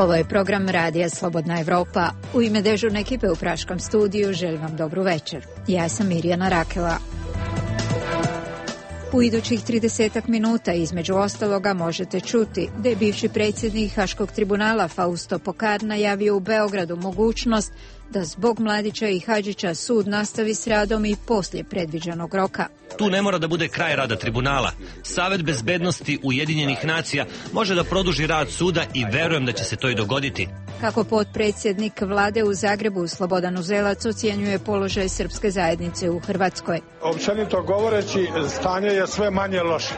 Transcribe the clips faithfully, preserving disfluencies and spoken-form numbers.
Ovo je program Radija Slobodna Evropa. U ime dežurne ekipe u Praškom studiju želim vam dobru večer. Ja sam Mirjana Rakela. U idućih tridesetak minuta između ostaloga možete čuti da je bivši predsjednik Haškog tribunala Fausto Pokar najavio u Beogradu mogućnost da zbog Mladića i Hadžića sud nastavi s radom i poslije predviđenog roka. Tu ne mora da bude kraj rada tribunala. Savet bezbednosti Ujedinjenih nacija može da produži rad suda i verujem da će se to i dogoditi. Kako potpredsjednik vlade u Zagrebu Slobodan Uzelac ocjenjuje položaj srpske zajednice u Hrvatskoj. Općenito govoreći, stanje je sve manje loše.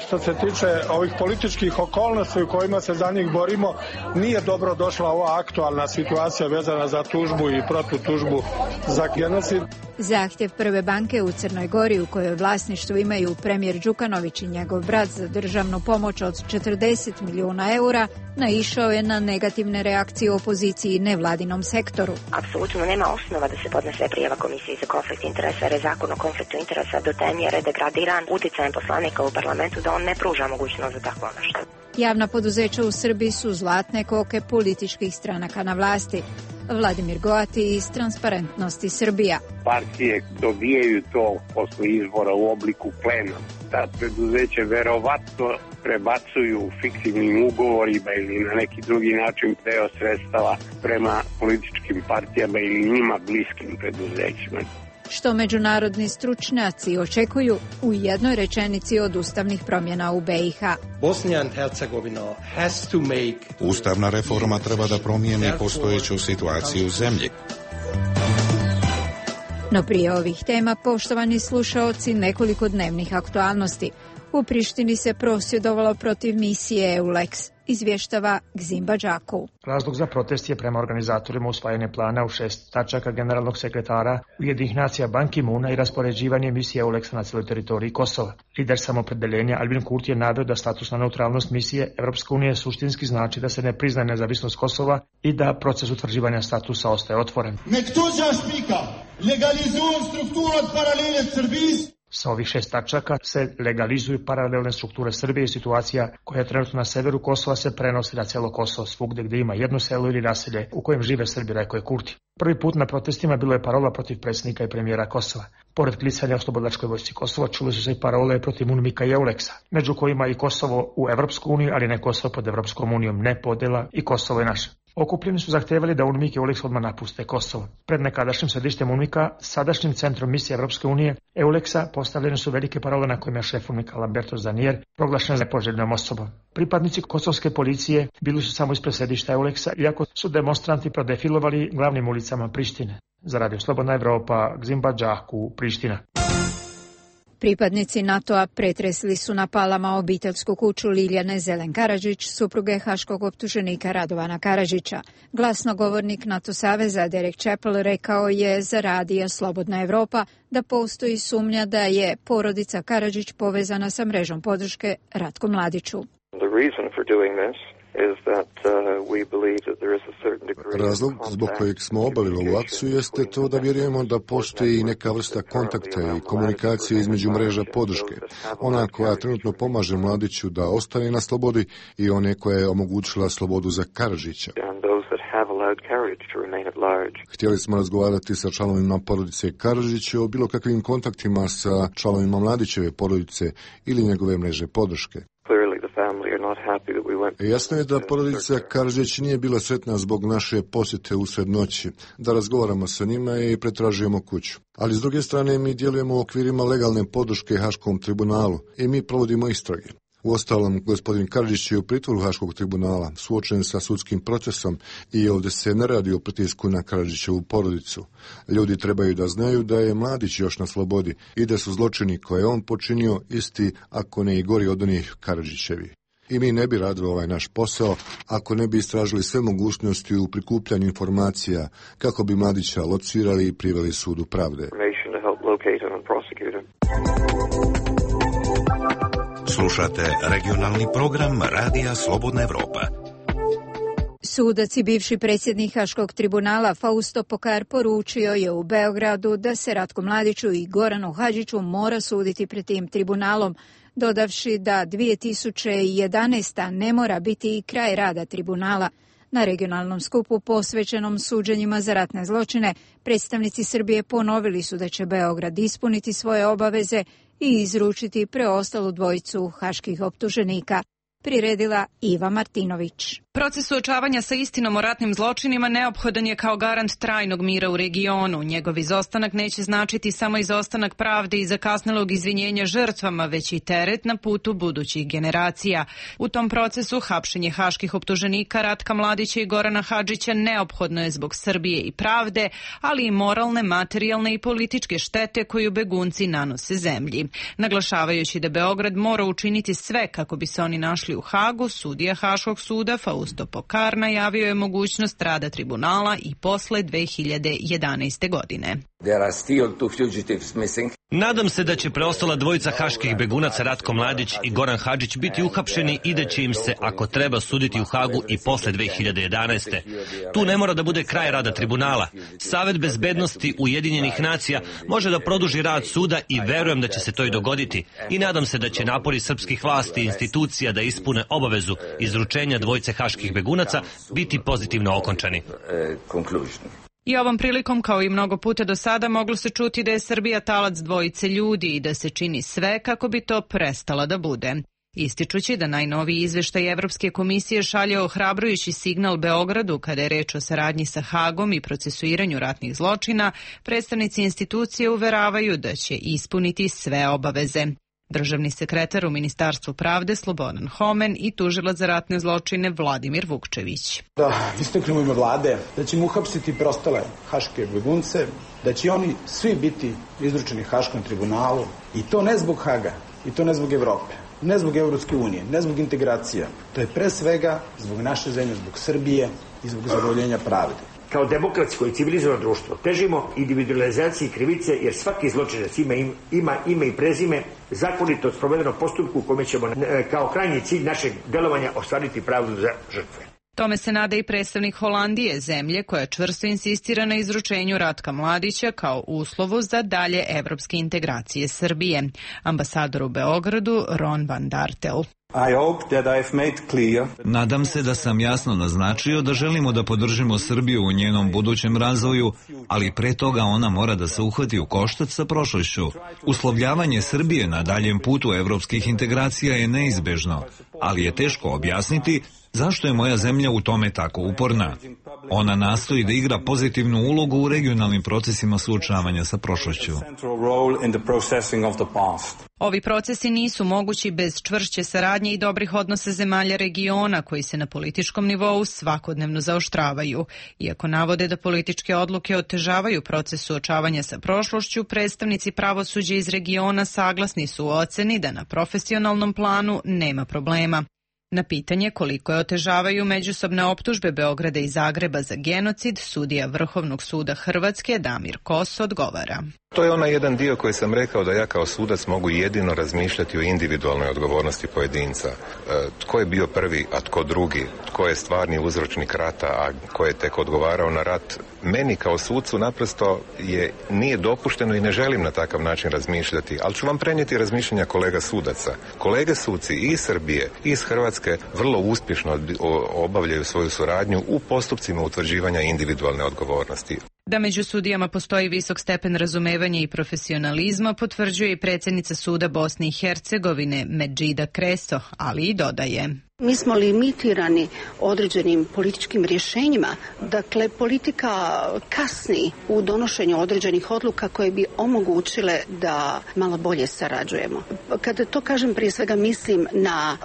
Što se tiče ovih političkih okolnosti u kojima se za njih borimo, nije dobro došla ova aktualna situacija vezana za tužbu i protutužbu za genocid. Zahtjev Prve banke u Crnoj Gori, u kojoj vlasništvu imaju premijer Đukanović i njegov brat za državnu pomoć od četrdeset milijuna eura, naišao je na negativne reakcije opoziciji i nevladinom sektoru. Apsolutno nema osnova da se podnese prijava Komisiji za konflikt interesa, jer je zakon o konfliktu interesa do te mjere degradiran uticajem poslanika u parlamentu da on ne pruža mogućnost za takvo nešto. Javna poduzeća u Srbiji su zlatne koke političkih stranaka na vlasti. Vladimir Goati iz Transparentnosti Srbija. Partije dobijaju to posle izbora u obliku plena. Ta preduzeće verovatno prebacuju fiktivnim ugovorima ili na neki drugi način deo sredstava prema političkim partijama ili njima bliskim preduzećima. Što međunarodni stručnjaci očekuju u jednoj rečenici od ustavnih promjena u B i H. Bosnia and Herzegovina has to make... Ustavna reforma treba da promijeni postojeću situaciju u zemlji. No prije ovih tema, poštovani slušaoci, nekoliko dnevnih aktualnosti. U Prištini se prosvjedovalo protiv misije EULEX, izvještava Gzimba Đakov. Razlog za protest je prema organizatorima usvajanje plana u šest tačaka generalnog sekretara Ujedinjenih nacija Ban Ki-moona i raspoređivanje misije EULEX na cijeloj teritoriji Kosova. Lider samopredeljenja Albin Kurti je naveo da statusna neutralnost misije Evropske unije suštinski znači da se ne priznaje nezavisnost Kosova i da proces utvrđivanja statusa ostaje otvoren. Sa ovih šest tačaka se legalizuju paralelne strukture Srbije i situacija koja je trenutno na severu Kosova se prenosi na cijelo Kosovo, svugdje gdje ima jedno selo ili naselje u kojem žive Srbi, rekao je Kurti. Prvi put na protestima bilo je parola protiv predsjednika i premijera Kosova. Pored klicanja o Slobodlačkoj vojsci Kosova čuli su se i parole protiv UNMIK-a i EULEX-a, među kojima i Kosovo u Evropsku uniju, ali ne Kosovo pod Evropskom unijom, ne podjela i Kosovo je naše. Okupljeni su zahtevali da UNMIK i EULEX odmah napuste Kosovo. Pred nekadašnjim središtem UNMIK-a, sadašnjim centrom misije Evropske unije, EULEX-a postavljene su velike parole na kojima je šef UNMIK-a Lamberto Zanier proglašen nepoželjnom osobom. Pripadnici kosovske policije bili su samo ispred središta EULEX-a, iako su demonstranti prodefilovali glavnim ulicama Prištine. Za Radio Slobodna Evropa, Gzimba Đakov, Priština. Pripadnici NATO-a pretresli su na Palama obiteljsku kuću Liljane Zelen Karadžić, supruge haškog optuženika Radovana Karadžića. Glasnogovornik NATO saveza Derek Chappell rekao je za Radio Slobodna Evropa da postoji sumnja da je porodica Karadžić povezana sa mrežom podrške Ratku Mladiću. Razlog zbog kojeg smo obavili ovu akciju jeste to da vjerujemo da postoji neka vrsta kontakta i komunikacije između mreža podrške. Ona koja trenutno pomaže Mladiću da ostane na slobodi i one koja je omogućila slobodu za Karadžića. Htjeli smo razgovarati sa članovima porodice Karadžića o bilo kakvim kontaktima sa članovima Mladićeve porodice ili njegove mreže podrške. Jasno je da porodica Karadžić nije bila sretna zbog naše posjete usred noći, da razgovaramo sa njima i pretražujemo kuću. Ali s druge strane mi djelujemo u okvirima legalne podrške Haškom tribunalu i mi provodimo istrage. Uostalom, gospodin Karadžić je u pritvoru Haškog tribunala, suočen sa sudskim procesom i ovdje se ne radi o pritisku na Karadžićevu porodicu. Ljudi trebaju da znaju da je Mladić još na slobodi i da su zločini koje je on počinio isti, ako ne i gori od onih Karadžićevi. I mi ne bi radili ovaj naš posao ako ne bi istražili sve mogućnosti u prikupljanju informacija kako bi Mladića locirali i priveli sudu pravde. Slušate regionalni program Radija Slobodna Evropa. Sudac i bivši predsjednik Haškog tribunala Fausto Pokar poručio je u Beogradu da se Ratku Mladiću i Goranu Hadžiću mora suditi pred tim tribunalom, dodavši da dvije tisuće jedanaesta. ne mora biti i kraj rada tribunala. Na regionalnom skupu posvećenom suđenjima za ratne zločine, predstavnici Srbije ponovili su da će Beograd ispuniti svoje obaveze i izručiti preostalu dvojicu haških optuženika. Priredila Iva Martinović. Proces suočavanja sa istinom o ratnim zločinima neophodan je kao garant trajnog mira u regionu. Njegov izostanak neće značiti samo izostanak pravde i zakasnelog izvinjenja žrtvama, već i teret na putu budućih generacija. U tom procesu hapšenje haških optuženika Ratka Mladića i Gorana Hadžića neophodno je zbog Srbije i pravde, ali i moralne, materijalne i političke štete koju begunci nanose zemlji. Naglašavajući da Beograd mora učiniti sve kako bi se oni našli u Hagu, sudija Haškog suda Fausto Pokar najavio je mogućnost rada tribunala i posle dve hiljade jedanaeste. godine. Nadam se da će preostala dvojica haških begunaca Ratko Mladić i Goran Hadžić biti uhapšeni i da će im se, ako treba, suditi u Hagu i posle dve hiljade jedanaeste. Tu ne mora da bude kraj rada tribunala. Savet bezbednosti Ujedinjenih nacija može da produži rad suda i verujem da će se to i dogoditi. I nadam se da će napori srpskih vlasti i institucija da ispune obavezu izručenja dvojice haških begunaca biti pozitivno okončani. I ovom prilikom, kao i mnogo puta do sada, moglo se čuti da je Srbija talac dvojice ljudi i da se čini sve kako bi to prestala da bude. Ističući da najnoviji izveštaj Evropske komisije šalje ohrabrujući signal Beogradu kada je reč o saradnji sa Hagom i procesuiranju ratnih zločina, predstavnici institucije uveravaju da će ispuniti sve obaveze. Državni sekretar u Ministarstvu pravde Slobodan Homen i tužilac za ratne zločine Vladimir Vukčević. Da istaknem u ime vlade da ćemo uhapsiti preostale haške begunce, da će oni svi biti izručeni Haškom tribunalu i to ne zbog Haga i to ne zbog Evrope, ne zbog Evropske unije, ne zbog integracija. To je pre svega zbog naše zemlje, zbog Srbije i zbog zadovoljenja pravde. Kao demokratsko i civilizovano društvo težimo individualizaciji krivice jer svaki zločinac ima, ima ime i prezime, zakonito sprovedenom postupku u kome ćemo kao krajnji cilj našeg delovanja ostvariti pravdu za žrtve. Tome se nada i predstavnik Holandije, zemlje koja čvrsto insistira na izručenju Ratka Mladića kao uslovu za dalje evropske integracije Srbije. Ambasador u Beogradu Ron van Dartel. Nadam se da sam jasno naznačio da želimo da podržimo Srbiju u njenom budućem razvoju, ali pre toga ona mora da se uhvati u koštac sa prošlošću. Uslovljavanje Srbije na daljem putu evropskih integracija je neizbežno, ali je teško objasniti zašto je moja zemlja u tome tako uporna. Ona nastoji da igra pozitivnu ulogu u regionalnim procesima suočavanja sa prošlošću. Ovi procesi nisu mogući bez čvršće saradnje i dobrih odnosa zemalja regiona koji se na političkom nivou svakodnevno zaoštravaju. Iako navode da političke odluke otežavaju proces suočavanja sa prošlošću, predstavnici pravosuđa iz regiona saglasni su u oceni da na profesionalnom planu nema problema. Na pitanje koliko je otežavaju međusobne optužbe Beograda i Zagreba za genocid, sudija Vrhovnog suda Hrvatske Damir Kos odgovara. To je onaj jedan dio koji sam rekao da ja kao sudac mogu jedino razmišljati o individualnoj odgovornosti pojedinca. E, tko je bio prvi, a tko drugi, tko je stvarni uzročnik rata, a tko je tek odgovarao na rat. Meni kao sucu naprosto je, nije dopušteno i ne želim na takav način razmišljati, ali ću vam prenijeti razmišljanja kolega sudaca. Kolege suci i iz Srbije i iz Hrvatske vrlo uspješno obavljaju svoju suradnju u postupcima utvrđivanja individualne odgovornosti. Da među sudijama postoji visok stepen razumevanja i profesionalizma potvrđuje i predsjednica suda Bosne i Hercegovine Medžida Kreso, ali i dodaje. Mi smo limitirani određenim političkim rješenjima. Dakle, politika kasni u donošenju određenih odluka koje bi omogućile da malo bolje sarađujemo. Kada to kažem, prije svega mislim na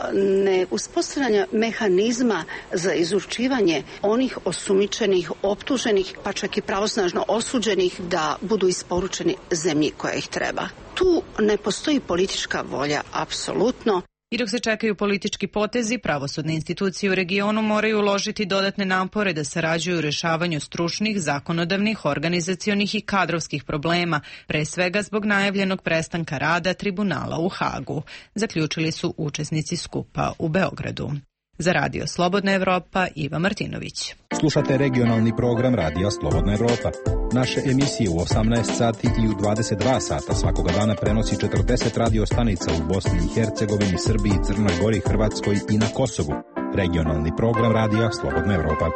neuspostavljanje mehanizma za izručivanje onih osumnjičenih, optuženih, pa čak i pravosnažno osuđenih da budu isporučeni zemlji koja ih treba. Tu ne postoji politička volja, apsolutno. I dok se čekaju politički potezi, pravosudne institucije u regionu moraju uložiti dodatne napore da sarađuju u rješavanju stručnih, zakonodavnih, organizacionih i kadrovskih problema, pre svega zbog najavljenog prestanka rada tribunala u Hagu, zaključili su učesnici skupa u Beogradu. Za Radio Slobodna Evropa, Iva Martinović. Slušate regionalni program Radija Slobodna Evropa. Naše emisije u osamnaest sati i u dvadeset dva sata svakoga dana prenosi četrdeset radio stanica u Bosni i Hercegovini, Srbiji, Crnoj Gori, Hrvatskoj i na Kosovu. regionalni program radija Slobodna Evropa.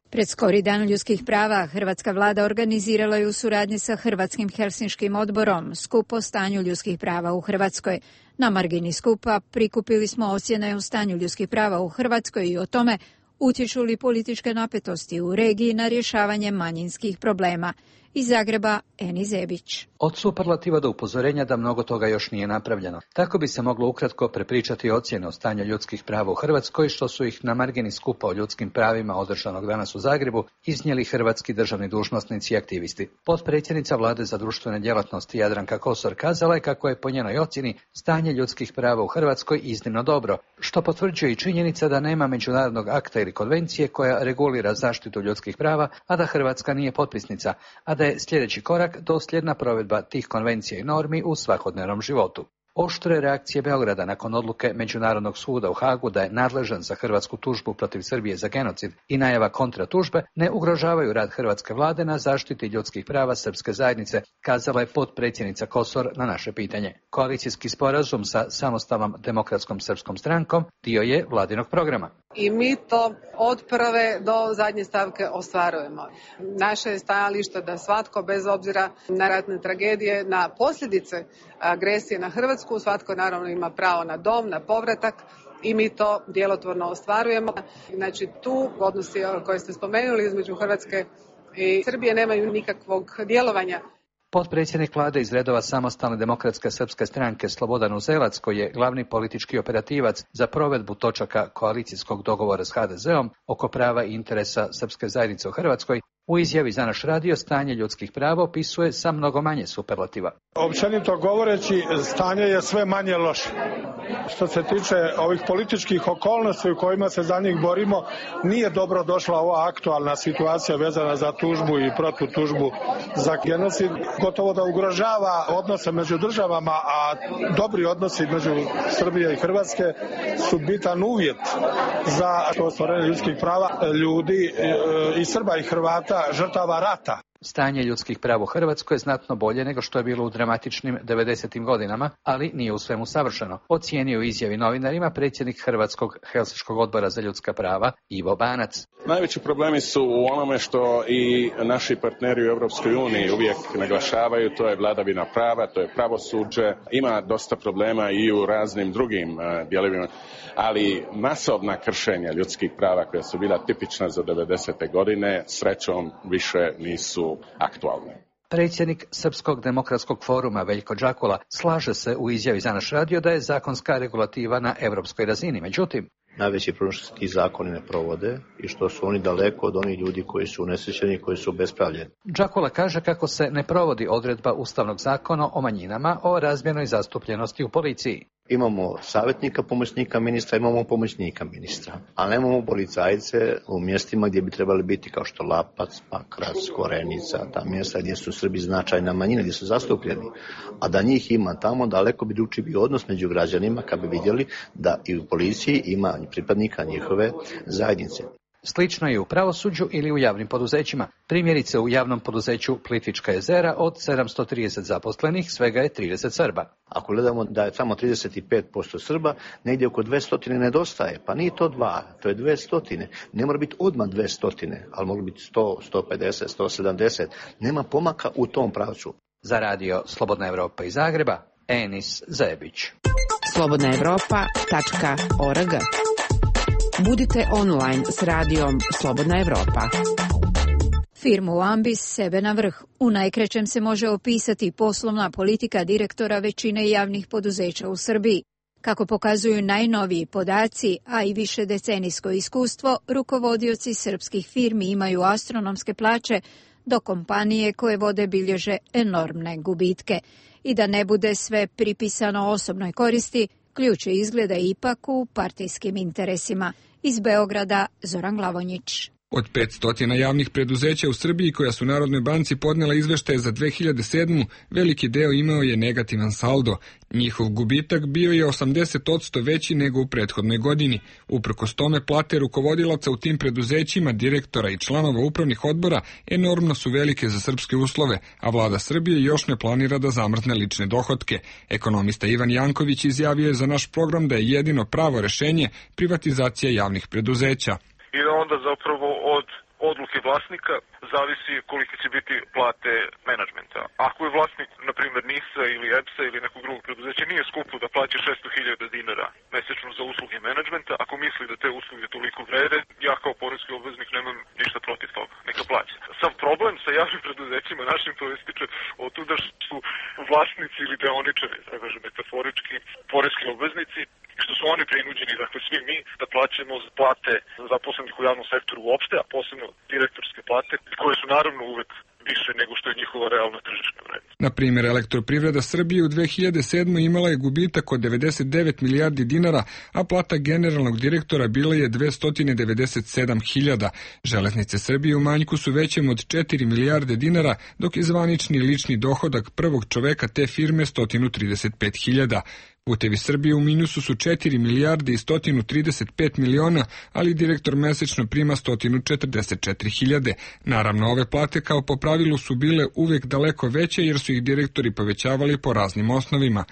Pred skori dan ljudskih prava hrvatska vlada organizirala je u suradnji sa Hrvatskim helsinškim odborom skup o stanju ljudskih prava u Hrvatskoj. Na margini skupa prikupili smo ocjene o stanju ljudskih prava u Hrvatskoj i o tome utječu li političke napetosti u regiji na rješavanje manjinskih problema. Iz Zagreba, Eni Zebić. Od superlativa do upozorenja da mnogo toga još nije napravljeno. Tako bi se moglo ukratko prepričati ocjene o stanju ljudskih prava u Hrvatskoj, što su ih na margini skupa o ljudskim pravima održanog danas u Zagrebu iznijeli hrvatski državni dužnosnici i aktivisti. Potpredsjednica Vlade za društvene djelatnosti Jadranka Kosor kazala je kako je po njenoj ocjeni stanje ljudskih prava u Hrvatskoj iznimno dobro, što potvrđuje i činjenica da nema međunarodnog akta ili konvencije koja regulira zaštitu ljudskih prava, a da Hrvatska nije potpisnica, a da je sljedeći korak dosljedna provedba tih konvencija i normi u svakodnevnom životu. Oštre reakcije Beograda nakon odluke Međunarodnog suda u Hagu da je nadležan za hrvatsku tužbu protiv Srbije za genocid i najava kontratužbe ne ugrožavaju rad hrvatske vlade na zaštiti ljudskih prava srpske zajednice, kazala je potpredsjednica Kosor na naše pitanje. Koalicijski sporazum sa samostalnom demokratskom srpskom strankom dio je vladinog programa. I mi to od prve do zadnje stavke ostvarujemo. Naše je stajalište da svatko, bez obzira na ratne tragedije, na posljedice agresije na Hrvatsku, svatko naravno ima pravo na dom, na povratak i mi to djelotvorno ostvarujemo. Znači tu odnosi koje ste spomenuli između Hrvatske i Srbije nemaju nikakvog djelovanja. Potpredsjednik vlade iz redova samostalne demokratske srpske stranke Slobodan Uzelac, koji je glavni politički operativac za provedbu točaka koalicijskog dogovora s ha de zom oko prava i interesa srpske zajednice u Hrvatskoj, u izjavi za naš radio stanje ljudskih prava opisuje sa mnogo manje superlativa. Općenito govoreći, stanje je sve manje loše. Što se tiče ovih političkih okolnosti u kojima se za njih borimo, nije dobro došla ova aktualna situacija vezana za tužbu i protutužbu za genocid. Gotovo da ugrožava odnose među državama, a dobri odnosi među Srbije i Hrvatske su bitan uvjet za ostvarenje ljudskih prava ljudi i Srba i Hrvata, žrtava rata. Stanje ljudskih prava u Hrvatskoj je znatno bolje nego što je bilo u dramatičnim devedesetim godinama, ali nije u svemu savršeno. Ocijenio u izjavi novinarima predsjednik Hrvatskog helsinškog odbora za ljudska prava Ivo Banac. Najveći problemi su u onome što i naši partneri u Europskoj uniji uvijek naglašavaju, to je vladavina prava, to je pravosuđe. Ima dosta problema i u raznim drugim uh, dijelovima, ali masovna kršenja ljudskih prava koja su bila tipična za devedesete godine, srećom više nisu aktualne. Predsjednik Srpskog demokratskog foruma Veljko Đakula slaže se u izjavi za naš radio da je zakonska regulativa na europskoj razini. Međutim, najveći problem što se ti zakoni ne provode i što su oni daleko od onih ljudi koji su unesrećeni, koji su obespravljeni. Đakula kaže kako se ne provodi odredba Ustavnog zakona o manjinama o razmjernoj zastupljenosti u policiji. Imamo savjetnika pomoćnika ministra, imamo pomoćnika ministra, a nemamo policajce u mjestima gdje bi trebali biti kao što Lapac, Pakrac, Korenica, ta mjesta gdje su Srbi značajna manjina, gdje su zastupljeni. A da njih ima tamo, daleko bi drugčiji bio odnos među građanima kad bi vidjeli da i u policiji ima pripadnika njihove zajednice. Slično je u pravosuđu ili u javnim poduzećima. Primjerice u javnom poduzeću Plitvička jezera od sedamsto trideset zaposlenih svega je trideset Srba. Ako gledamo da je tamo trideset pet posto Srba, negdje oko dvjesto nedostaje. Pa nije to dva, to je dvjesto. Ne mora biti odmah dvjesto, ali mogu biti sto, sto pedeset, sto sedamdeset. Nema pomaka u tom pravcu. Za radio Slobodna Evropa iz Zagreba, Enis Zebić. slobodna evropa tačka org. Budite online s radijom Slobodna Evropa. Firmu Ambis sebe na vrh. U najkraćem se može opisati poslovna politika direktora većine javnih poduzeća u Srbiji. Kako pokazuju najnoviji podaci, a i više decenijsko iskustvo, rukovodioci srpskih firmi imaju astronomske plaće, dok kompanije koje vode bilježe enormne gubitke. I da ne bude sve pripisano osobnoj koristi, ključ je izgleda ipak u partijskim interesima. Iz Beograda, Zoran Glavonjić. Od petsto javnih preduzeća u Srbiji koja su Narodnoj banci podnela izveštaje za dve hiljade sedmu, veliki deo imao je negativan saldo. Njihov gubitak bio je osamdeset posto veći nego u prethodnoj godini. Uprkos tome, plate rukovodilaca u tim preduzećima, direktora i članova upravnih odbora enormno su velike za srpske uslove, a vlada Srbije još ne planira da zamrzne lične dohotke. Ekonomista Ivan Janković izjavio je za naš program da je jedino pravo rešenje privatizacija javnih preduzeća. I da onda zapravo od odluke vlasnika zavisi kolike će biti plate menadžmenta. Ako je vlasnik, na primjer, NIS-a ili E P S-a ili nekog drugog preduzeća, nije skupo da plaća šesto hiljada dinara mesečno za usluge menadžmenta, ako misli da te usluge toliko vrede, ja kao poreski obveznik nemam ništa protiv toga. Neka plaća. Sav problem sa javnim preduzećima našim proističe od tuda što su vlasnici ili deoničari, da kažem metaforički, poreski obveznici, što su oni prinuđeni, dakle svi mi, da plaćamo plate zaposlenih u javnom sektoru uopšte, a posebno direktorske plate, koje su naravno uvek više nego što je njihova realna tržišna vrednost. Na primjer, Elektroprivreda Srbije u dve hiljade sedmoj imala je gubitak od devedeset devet milijardi dinara, a plata generalnog direktora bila je dvesta devedeset sedam hiljada. Železnice Srbije u manjku su većem od četiri milijarde dinara, dok je zvanični lični dohodak prvog čoveka te firme sto trideset pet hiljada. Putevi Srbije u minusu su četiri milijarde i sto trideset pet miliona, ali direktor mesečno prima sto četrdeset četiri hiljade. Naravno, ove plate kao po pravilu su bile uvek daleko veće jer su ih direktori povećavali po raznim osnovima.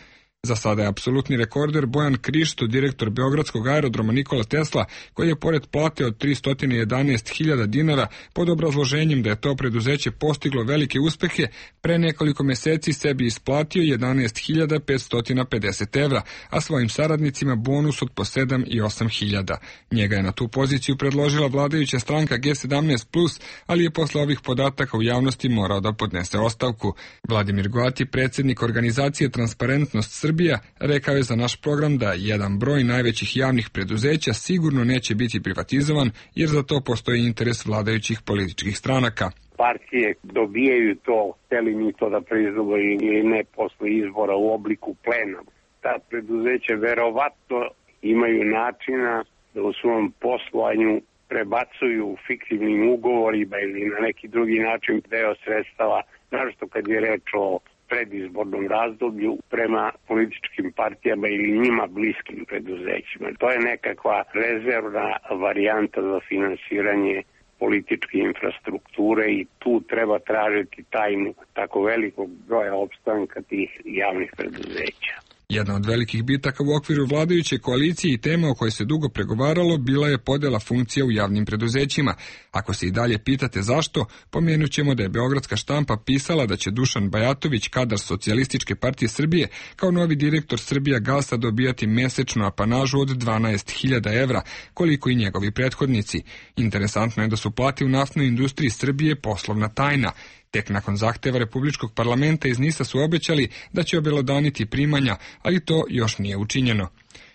Za sada je apsolutni rekorder Bojan Krišto, direktor Beogradskog aerodroma Nikola Tesla, koji je pored plate od tristo jedanaest hiljada dinara pod obrazloženjem da je to preduzeće postiglo velike uspehe, pre nekoliko meseci sebi isplatio jedanaest hiljada petsto pedeset evra, a svojim saradnicima bonus od po sedam i osam hiljada. Njega je na tu poziciju predložila vladajuća stranka G sedamnaest plus, ali je posle ovih podataka u javnosti morao da podnese ostavku. Vladimir Goati, predsjednik organizacije Transparentnost Srbije, Srbija, rekao je za naš program da jedan broj najvećih javnih preduzeća sigurno neće biti privatizovan jer za to postoji interes vladajućih političkih stranaka. Partije dobijaju to, hteli mi to da priznamo ili ne posle izbora u obliku plena. Ta preduzeća verovatno imaju načina da u svom poslovanju prebacuju fiktivnim ugovorima ili na neki drugi način deo sredstava, naročito kad je reč o predizbornom razdoblju prema političkim partijama ili njima bliskim preduzećima. To je nekakva rezervna varijanta za finansiranje političke infrastrukture i tu treba tražiti tajnu tako velikog broja opstanka tih javnih preduzeća. Jedna od velikih bitaka u okviru vladajuće koalicije i tema o kojoj se dugo pregovaralo bila je podela funkcija u javnim preduzećima. Ako se i dalje pitate zašto, pomenut ćemo da je Beogradska štampa pisala da će Dušan Bajatović, kadar Socijalističke partije Srbije, kao novi direktor Srbija Gasa dobijati mesečnu apanažu od dvanaest hiljada evra, koliko i njegovi prethodnici. Interesantno je da su plate u naftnoj industriji Srbije poslovna tajna. Tek nakon zahteva Republičkog parlamenta iz NIS-a su obećali da će obelodaniti primanja, ali to još nije učinjeno.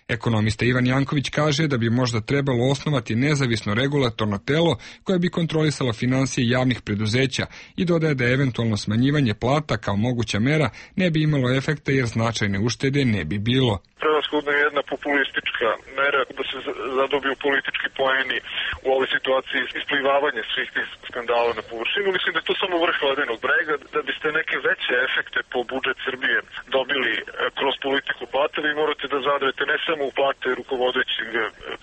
Ekonomista Ivan Janković kaže da bi možda trebalo osnovati nezavisno regulatorno telo koje bi kontrolisalo finansije javnih preduzeća i dodaje da eventualno smanjivanje plata kao moguća mera ne bi imalo efekta jer značajne uštede ne bi bilo. Prevashodno je jedna populistička mera da se zadobiju politički poeni u ovoj situaciji isplivavanje svih tih skandala na površinu. Mislim da je to samo vrh ledenog brega, da biste neke veće efekte po budžet Srbije dobili kroz politiku plata, vi morate da zadrete ne samo u plate rukovodećeg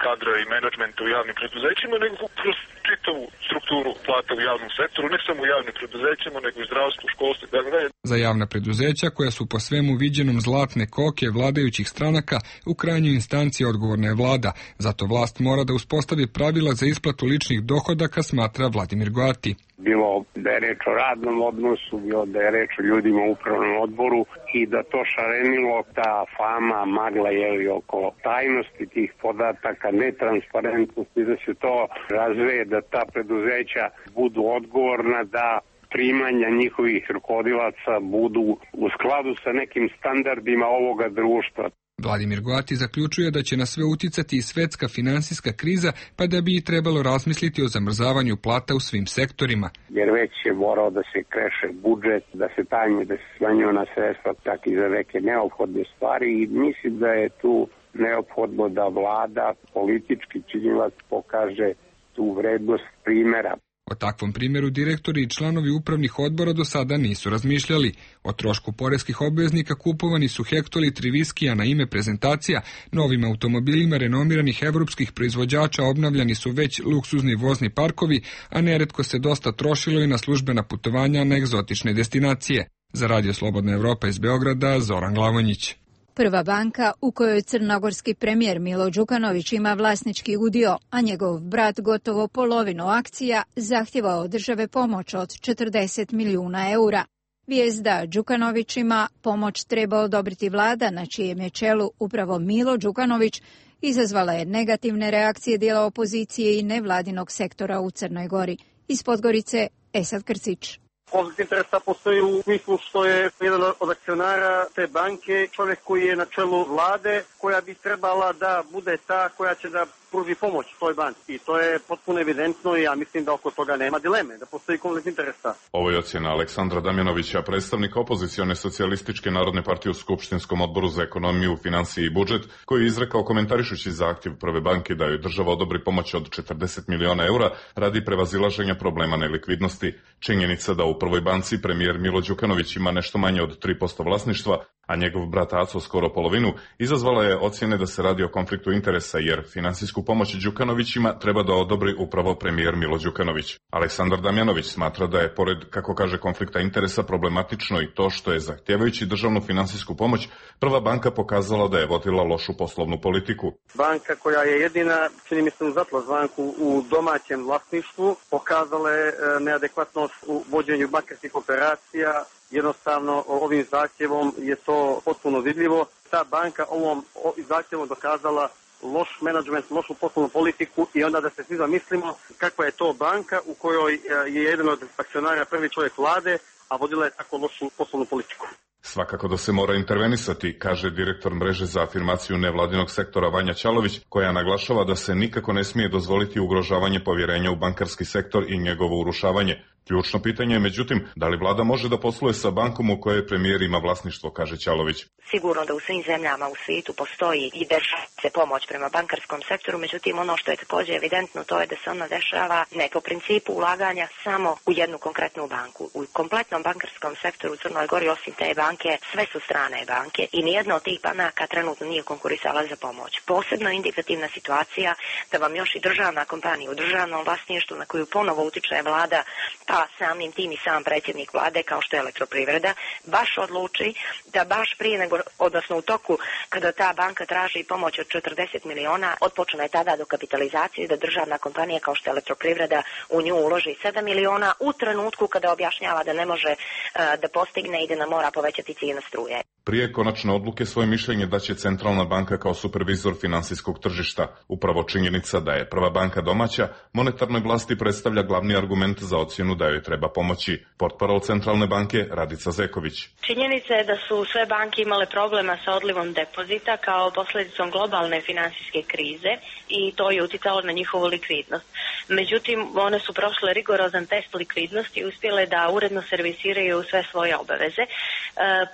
kadra i menadžmenta u javnim preduzećima, nego kroz čitavu strukturu plata u javnom sektoru, ne samo u javnim preduzećima, nego i zdravstvu, školstvu i tako dalje. Za javna preduzeća koja su po svemu viđenom zlatne koke vladajućih stranaka, u krajnjoj instanciji odgovorna je vlada, zato vlast mora da uspostavi pravila za isplatu ličnih dohodaka, smatra Vladimir Goati. Bilo da je reč o radnom odnosu, bilo da je reč o ljudima u upravnom odboru i da to šarenilo, ta fama, magla je oko tajnosti tih podataka, netransparentnosti, da se to razveje, da ta preduzeća budu odgovorna, da primanja njihovih rukovodilaca budu u skladu sa nekim standardima ovoga društva. Vladimir Goati zaključuje da će na sve uticati i svetska finansijska kriza, pa da bi i trebalo razmisliti o zamrzavanju plata u svim sektorima. Jer već je morao da se kreše budžet, da se tanje, da se smanjuje na sredstva tak i za neke neophodne stvari i mislim da je tu neophodno da vlada, politički činilac pokaže tu vrednost primera. O takvom primjeru direktori i članovi upravnih odbora do sada nisu razmišljali. O trošku poreskih obveznika kupovani su hektolitri viskija na ime prezentacija, novim automobilima renomiranih evropskih proizvođača obnavljani su već luksuzni vozni parkovi, a neretko se dosta trošilo i na službena putovanja na egzotične destinacije. Za Radio Slobodna Evropa iz Beograda, Zoran Glavonjić. Prva banka u kojoj crnogorski premijer Milo Đukanović ima vlasnički udio, a njegov brat gotovo polovinu akcija, zahtjeva od države pomoć od četrdeset milijuna eura. Vijest da Đukanovićima pomoć treba odobriti vlada na čijem je čelu upravo Milo Đukanović izazvala je negativne reakcije dijela opozicije i nevladinog sektora u Crnoj Gori. Iz Podgorice, Esad Krcić. Konflikt interesa postoji u smislu što je jedan od akcionara te banke čovjek koji je na čelu vlade koja bi trebala da bude ta koja će da pruži pomoć toj banci. I to je potpuno evidentno i ja mislim da oko toga nema dileme, da postoji konflikt interesa. Ovo je ocjena Aleksandra Damjanovića, predstavnika opozicione socijalističke narodne partije u Skupštinskom odboru za ekonomiju, financije i budžet, koji je izrekao komentarišući zahtjev Prve banke da joj država odobri pomoć od četrdeset miliona eura radi prevazilaženja problema nelikvidnosti. Činjenica da u Prvoj banci premijer Milo Đukanović ima nešto manje od tri posto vlasništva, a njegov brat Aco skoro polovinu, izazvala je ocjene da se radi o konfliktu interesa jer finansijsku pomoć Đukanovićima treba da odobri upravo premijer Milo Đukanović. Aleksandar Damjanović smatra da je, pored, kako kaže, konflikta interesa problematično i to što je, zahtjevajući državnu finansijsku pomoć, Prva banka pokazala da je vodila lošu poslovnu politiku. Banka koja je jedina, čini mi se uz Atlas banku, u domaćem vlasništvu, pokazala je neadekvatnost u vođenju bankarskih operacija. Jednostavno ovim zahtjevom je to potpuno vidljivo. Ta banka ovom zahtjevom dokazala loš menadžment, lošu poslovnu politiku i onda da se svi zamislimo kakva je to banka u kojoj je jedan od akcionara prvi čovjek vlade, a vodila je tako lošu poslovnu politiku. Svakako da se mora intervenisati, kaže direktor mreže za afirmaciju nevladinog sektora Vanja Ćalović, koja naglašava da se nikako ne smije dozvoliti ugrožavanje povjerenja u bankarski sektor i njegovo urušavanje. Ključno pitanje je, međutim, da li vlada može da posluje sa bankom u kojoj premijer ima vlasništvo, kaže Ćalović. Sigurno da u svim zemljama u svijetu postoji i dešava se pomoć prema bankarskom sektoru, međutim ono što je također evidentno to je da se ona dešava ne po principu ulaganja samo u jednu konkretnu banku. U kompletnom bankarskom sektoru u Crnoj Gori osim te banke sve su strane banke i nijedna od tih banaka trenutno nije konkurisala za pomoć. Posebno indikativna situacija da vam još i državna kompanija u državnom vlasništvu na koju ponovo utiče vlada, pa samim tim i sam predsjednik vlade kao što je Elektroprivreda, baš odluči da baš prije nego, odnosno u toku kada ta banka traži pomoć od četrdeset miliona, otpočne je tada dokapitalizacija da državna kompanija kao što je Elektroprivreda u nju uloži sedam miliona u trenutku kada objašnjava da ne može uh, da postigne i da nam mora povećati cijenu struje. Prije konačne odluke svoje mišljenje daće Centralna banka kao supervizor finansijskog tržišta. Upravo činjenica da je Prva banka domaća, monetarnoj vlasti predstavlja glavni argument za ocjenu da joj treba pomoći. Portparol Centralne banke Radica Zeković. Činjenica je da su sve banke imale problema sa odlivom depozita kao posljedicom globalne finansijske krize i to je uticalo na njihovu likvidnost. Međutim, one su prošle rigorozan test likvidnosti i uspjele da uredno servisiraju sve svoje obaveze. E,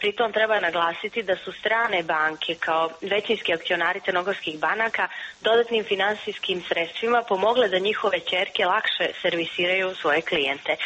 pritom treba naglasiti da su strane banke kao većinski akcionari crnogorskih banaka dodatnim finansijskim sredstvima pomogle da njihove ćerke lakše servisiraju svoje klijente.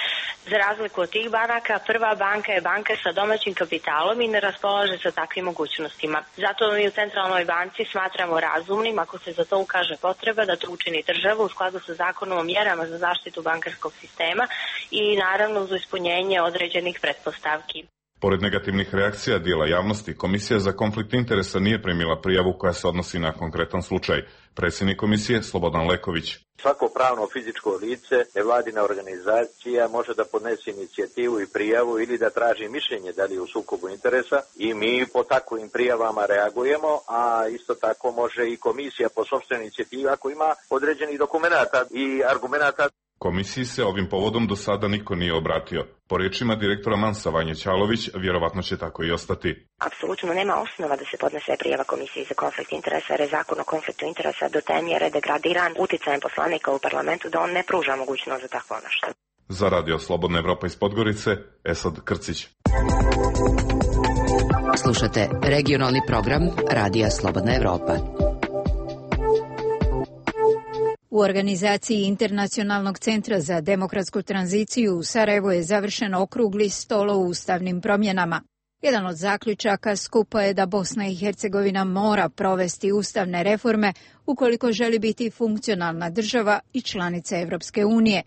Za razliku od tih banaka, Prva banka je banka sa domaćim kapitalom i ne raspolaže sa takvim mogućnostima. Zato mi u Centralnoj banci smatramo razumnim, ako se za to ukaže potreba, da to učini država u skladu sa zakonom o mjerama za zaštitu bankarskog sistema i naravno uz ispunjenje određenih pretpostavki. Pored negativnih reakcija dijela javnosti, Komisija za konflikt interesa nije primila prijavu koja se odnosi na konkretan slučaj. Predsjednik komisije Slobodan Leković. Svako pravno fizičko lice, nevladina organizacija može da podnese inicijativu i prijavu ili da traži mišljenje da li je u sukobu interesa i mi po takvim prijavama reagujemo, a isto tako može i komisija po sopstvenoj inicijativi ako ima određenih dokumenata i argumenata. Komisiji se ovim povodom do sada niko nije obratio. Po riječima direktora Mansa Vanje Ćalović, vjerovatno će tako i ostati. Apsolutno nema osnova da se podnese prijava Komisiji za konflikt interesa, jer je zakon o konfliktu interesa do te mjere degradiran uticajem poslanika u parlamentu da on ne pruža mogućnost za takvo nešto. Za Radio Slobodna Evropa iz Podgorice, Esad Krcić. Slušate regionalni program Radija Slobodna Evropa. U organizaciji Internacionalnog centra za demokratsku tranziciju u Sarajevu je završen okrugli stol o ustavnim promjenama. Jedan od zaključaka skupa je da Bosna i Hercegovina mora provesti ustavne reforme ukoliko želi biti funkcionalna država i članica Evropske unije.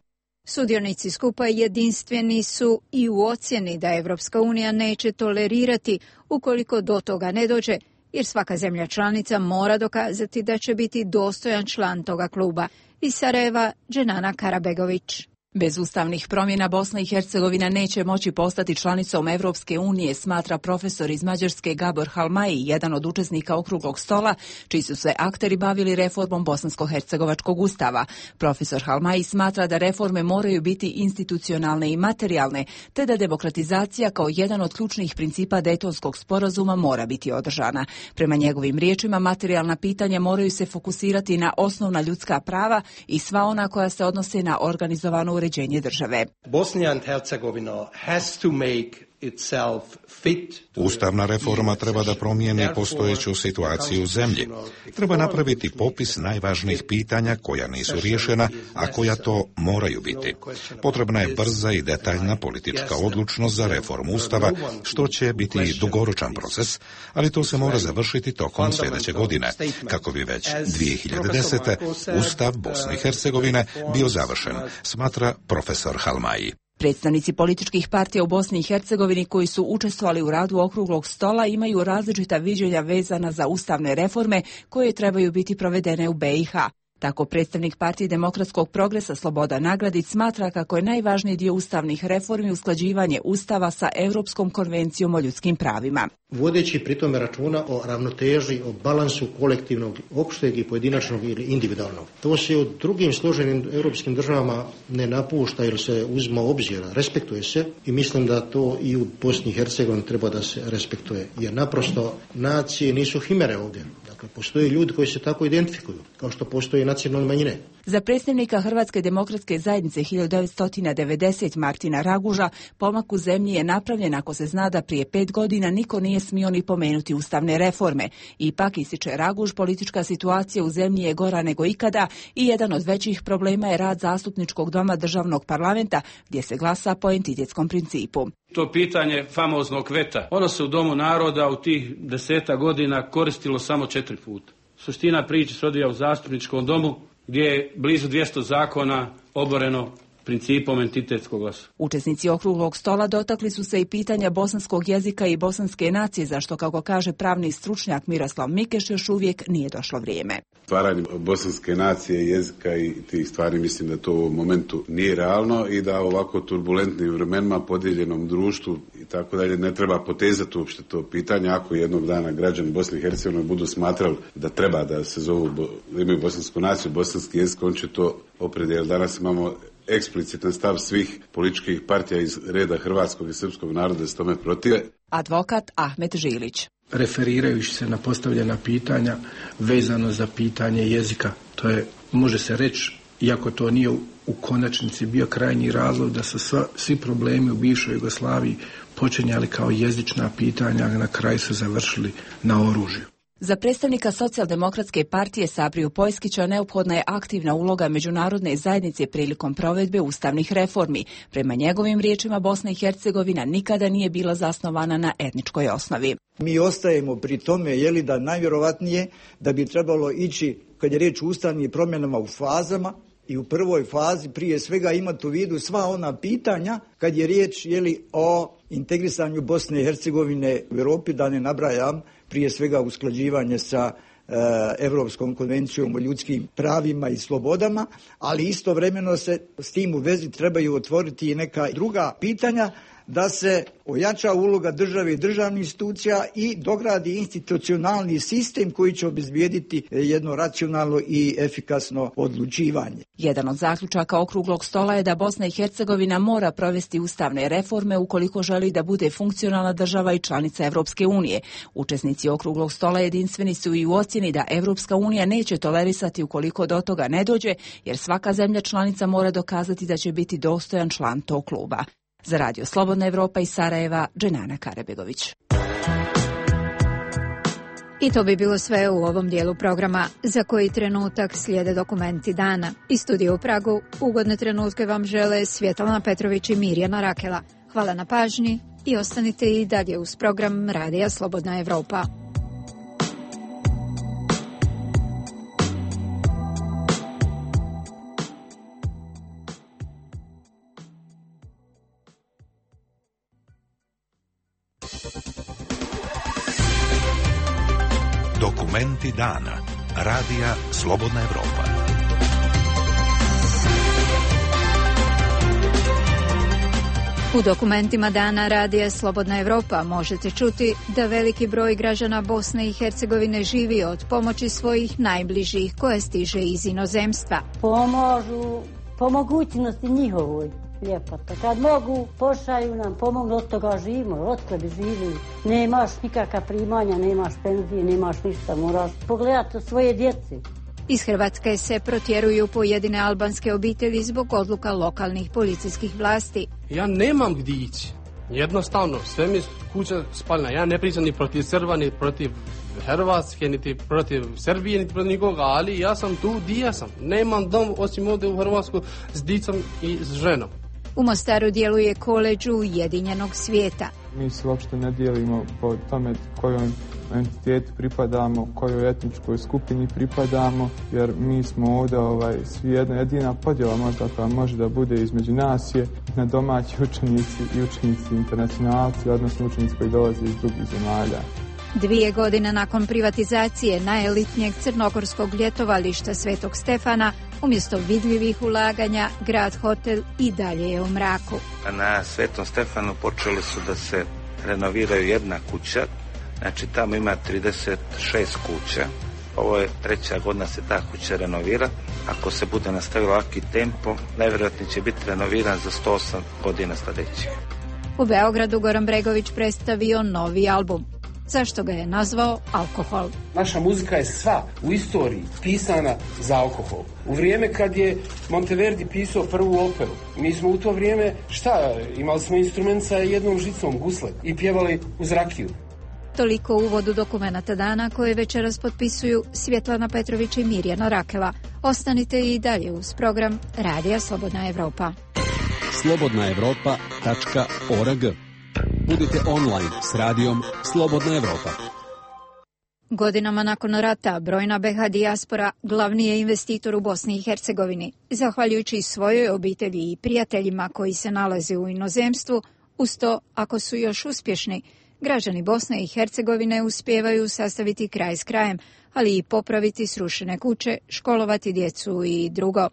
Sudionici skupa jedinstveni su i u ocjeni da Evropska unija neće tolerirati ukoliko do toga ne dođe, jer svaka zemlja članica mora dokazati da će biti dostojan član toga kluba. Iz Sarajeva, Dženana Karabegović. Bez ustavnih promjena Bosna i Hercegovina neće moći postati članicom Evropske unije, smatra profesor iz Mađarske Gabor Halmaji, jedan od učesnika okruglog stola, čiji su se akteri bavili reformom bosansko-hercegovačkog ustava. Profesor Halmaji smatra da reforme moraju biti institucionalne i materijalne, te da demokratizacija kao jedan od ključnih principa Dejtonskog sporazuma mora biti održana. Prema njegovim riječima, materijalna pitanja moraju se fokusirati na osnovna ljudska prava i sva ona koja se odnose na organizovanu uređenje države. Bosnia and Herzegovina has to make itself fit. Ustavna reforma treba da promijeni postojeću situaciju u zemlji. Treba napraviti popis najvažnijih pitanja koja nisu riješena, a koja to moraju biti. Potrebna je brza i detaljna politička odlučnost za reformu Ustava, što će biti dugoročan proces, ali to se mora završiti tokom sljedeće godine, kako bi već dvije hiljade desete. Ustav Bosne i Hercegovine bio završen, smatra profesor Halmaji. Predstavnici političkih partija u Bosni i Hercegovini koji su učestvovali u radu okruglog stola imaju različita viđenja vezana za ustavne reforme koje trebaju biti provedene u be i ha. Tako predstavnik Partije demokratskog progresa Slobodan Nagradić smatra kako je najvažniji dio ustavnih reformi usklađivanje Ustava sa Europskom konvencijom o ljudskim pravima. Vodeći pritome računa o ravnoteži, o balansu kolektivnog, opšteg i pojedinačnog ili individualnog. To se u drugim složenim europskim državama ne napušta jer se uzma obzira, respektuje se i mislim da to i u Bosni i Hercegovini treba da se respektuje. Jer naprosto nacije nisu himere ovdje. Dakle, postoje ljudi koji se tako identifikuju, kao što postoje nacionalne manjine. Za predstavnika Hrvatske demokratske zajednice hiljadu devetsto devedesete Martina Raguža, pomak u zemlji je napravljen ako se zna da prije pet godina niko nije smio ni pomenuti ustavne reforme. Ipak, ističe Raguž, politička situacija u zemlji je gora nego ikada i jedan od većih problema je rad zastupničkog doma državnog parlamenta, gdje se glasa po entitetskom principu. To pitanje famoznog veta, ono se u Domu naroda u tih deseta godina koristilo samo četiri puta. Suština priče se odvija u zastupničkom domu gdje je blizu dvjesto zakona oboreno principom entitetskog glasa. Učesnici okruglog stola dotakli su se i pitanja bosanskog jezika i bosanske nacije, zašto, kako kaže pravni stručnjak Miroslav Mikeš, još uvijek nije došlo vrijeme. Stvaranje bosanske nacije, jezika i tih stvari mislim da to u momentu nije realno i da ovako turbulentnim vremenima, podijeljenom društvu i tako dalje ne treba potezati uopšte to pitanje. Ako jednog dana građani Bosne i Hercegovine budu smatrali da treba da se zovu, da imaju bosansku naciju, bosanski jezik, on će to opredijeliti. Danas imamo eksplicitan stav svih političkih partija iz reda hrvatskog i srpskog naroda s tome protive. Advokat Ahmet Žilić. Referirajući se na postavljena pitanja vezano za pitanje jezika, to je, može se reći, iako to nije u konačnici bio krajnji razlog da su sva, svi problemi u bivšoj Jugoslaviji počinjali kao jezična pitanja, a na kraju su završili na oružju. Za predstavnika Socijaldemokratske partije Sabriju Pojskića neophodna je aktivna uloga međunarodne zajednice prilikom provedbe ustavnih reformi. Prema njegovim riječima, Bosna i Hercegovina nikada nije bila zasnovana na etničkoj osnovi. Mi ostajemo pri tome, je li da najvjerovatnije da bi trebalo ići, kad je riječ o ustavnim promjenama, u fazama i u prvoj fazi prije svega imati u vidu sva ona pitanja kad je riječ, je li, o integrisanju Bosne i Hercegovine u Europi, da ne nabrajam, prije svega usklađivanje sa e, Europskom konvencijom o ljudskim pravima i slobodama, ali istovremeno se s tim u vezi trebaju otvoriti i neka druga pitanja, da se ojača uloga države i državnih institucija i dogradi institucionalni sistem koji će obezbijediti jedno racionalno i efikasno odlučivanje. Jedan od zaključaka okruglog stola je da Bosna i Hercegovina mora provesti ustavne reforme ukoliko želi da bude funkcionalna država i članica Evropske unije. Učesnici okruglog stola jedinstveni su i u ocjeni da Evropska unija neće tolerisati ukoliko do toga ne dođe, jer svaka zemlja članica mora dokazati da će biti dostojan član tog kluba. Za Radio Slobodna Evropa iz Sarajeva, Dženana Karabegović. I to bi bilo sve u ovom dijelu programa, za koji trenutak slijede dokumenti dana. Iz studija u Pragu ugodne trenutke vam žele Svjetlana Petrović i Mirjana Rakela. Hvala na pažnji i ostanite i dalje uz program Radija Slobodna Evropa. Dokumenti dana. Radija Slobodna Evropa. U dokumentima dana Radija Slobodna Evropa možete čuti da veliki broj građana Bosne i Hercegovine živi od pomoći svojih najbližih koje stiže iz inozemstva. Pomažu po mogućnosti njihovoj. Ljepota. Kad mogu, pošalju nam, pomognu, od toga živimo, od toga bi živili. Nemaš nikakva primanja, nemaš penzije, nemaš ništa, moraš pogledati o svoje djece. Iz Hrvatske se protjeruju pojedine albanske obitelji zbog odluka lokalnih policijskih vlasti. Ja nemam gdje ići. Jednostavno, sve mi kuća spaljena. Ja ne pričam ni protiv Srba, ni protiv Hrvatske, niti protiv Srbije, niti protiv nikoga, ali ja sam tu gdje ja sam. Nemam dom osim ovdje u Hrvatsku s dicom i s ženom. U Mostaru djeluje koledž Ujedinjenog svijeta. Mi se uopšte ne dijelimo po tome kojoj entitetu pripadamo, kojoj etničkoj skupini pripadamo, jer mi smo ovdje ovaj, svi jedna jedina podjela možda koja može da bude između nas je na domaći učenici i učenici internacionalci, odnosno učenici koji dolaze iz drugih zemalja. Dvije godine nakon privatizacije najelitnijeg crnogorskog ljetovališta Svetog Stefana, umjesto vidljivih ulaganja, grad hotel i dalje je u mraku. Na Svetom Stefanu počeli su da se renoviraju jedna kuća, znači tamo ima trideset šest kuća. Ovo je treća godina se ta kuća renovira. Ako se bude nastavilo ovaki tempo, najvjerojatnije će biti renoviran za sto osam godina sljedećih. U Beogradu Goran Bregović predstavio novi album. Zašto ga je nazvao Alkohol? Naša muzika je sva u istoriji pisana za alkohol. U vrijeme kad je Monteverdi pisao prvu operu, mi smo u to vrijeme, šta, imali smo instrument sa jednom žicom, gusle, i pjevali uz rakiju. Toliko u uvodu dokumenata dana koje večeras potpisuju Svjetlana Petrović i Mirjana Rakela. Ostanite i dalje uz program Radija Slobodna Evropa. slobodna evropa tačka org. Budite online s radijom Slobodna Evropa. Godinama nakon rata brojna be ha dijaspora glavni je investitor u Bosni i Hercegovini. Zahvaljujući svojoj obitelji i prijateljima koji se nalaze u inozemstvu, uz to, ako su još uspješni, građani Bosne i Hercegovine uspijevaju sastaviti kraj s krajem, ali i popraviti srušene kuće, školovati djecu i drugo.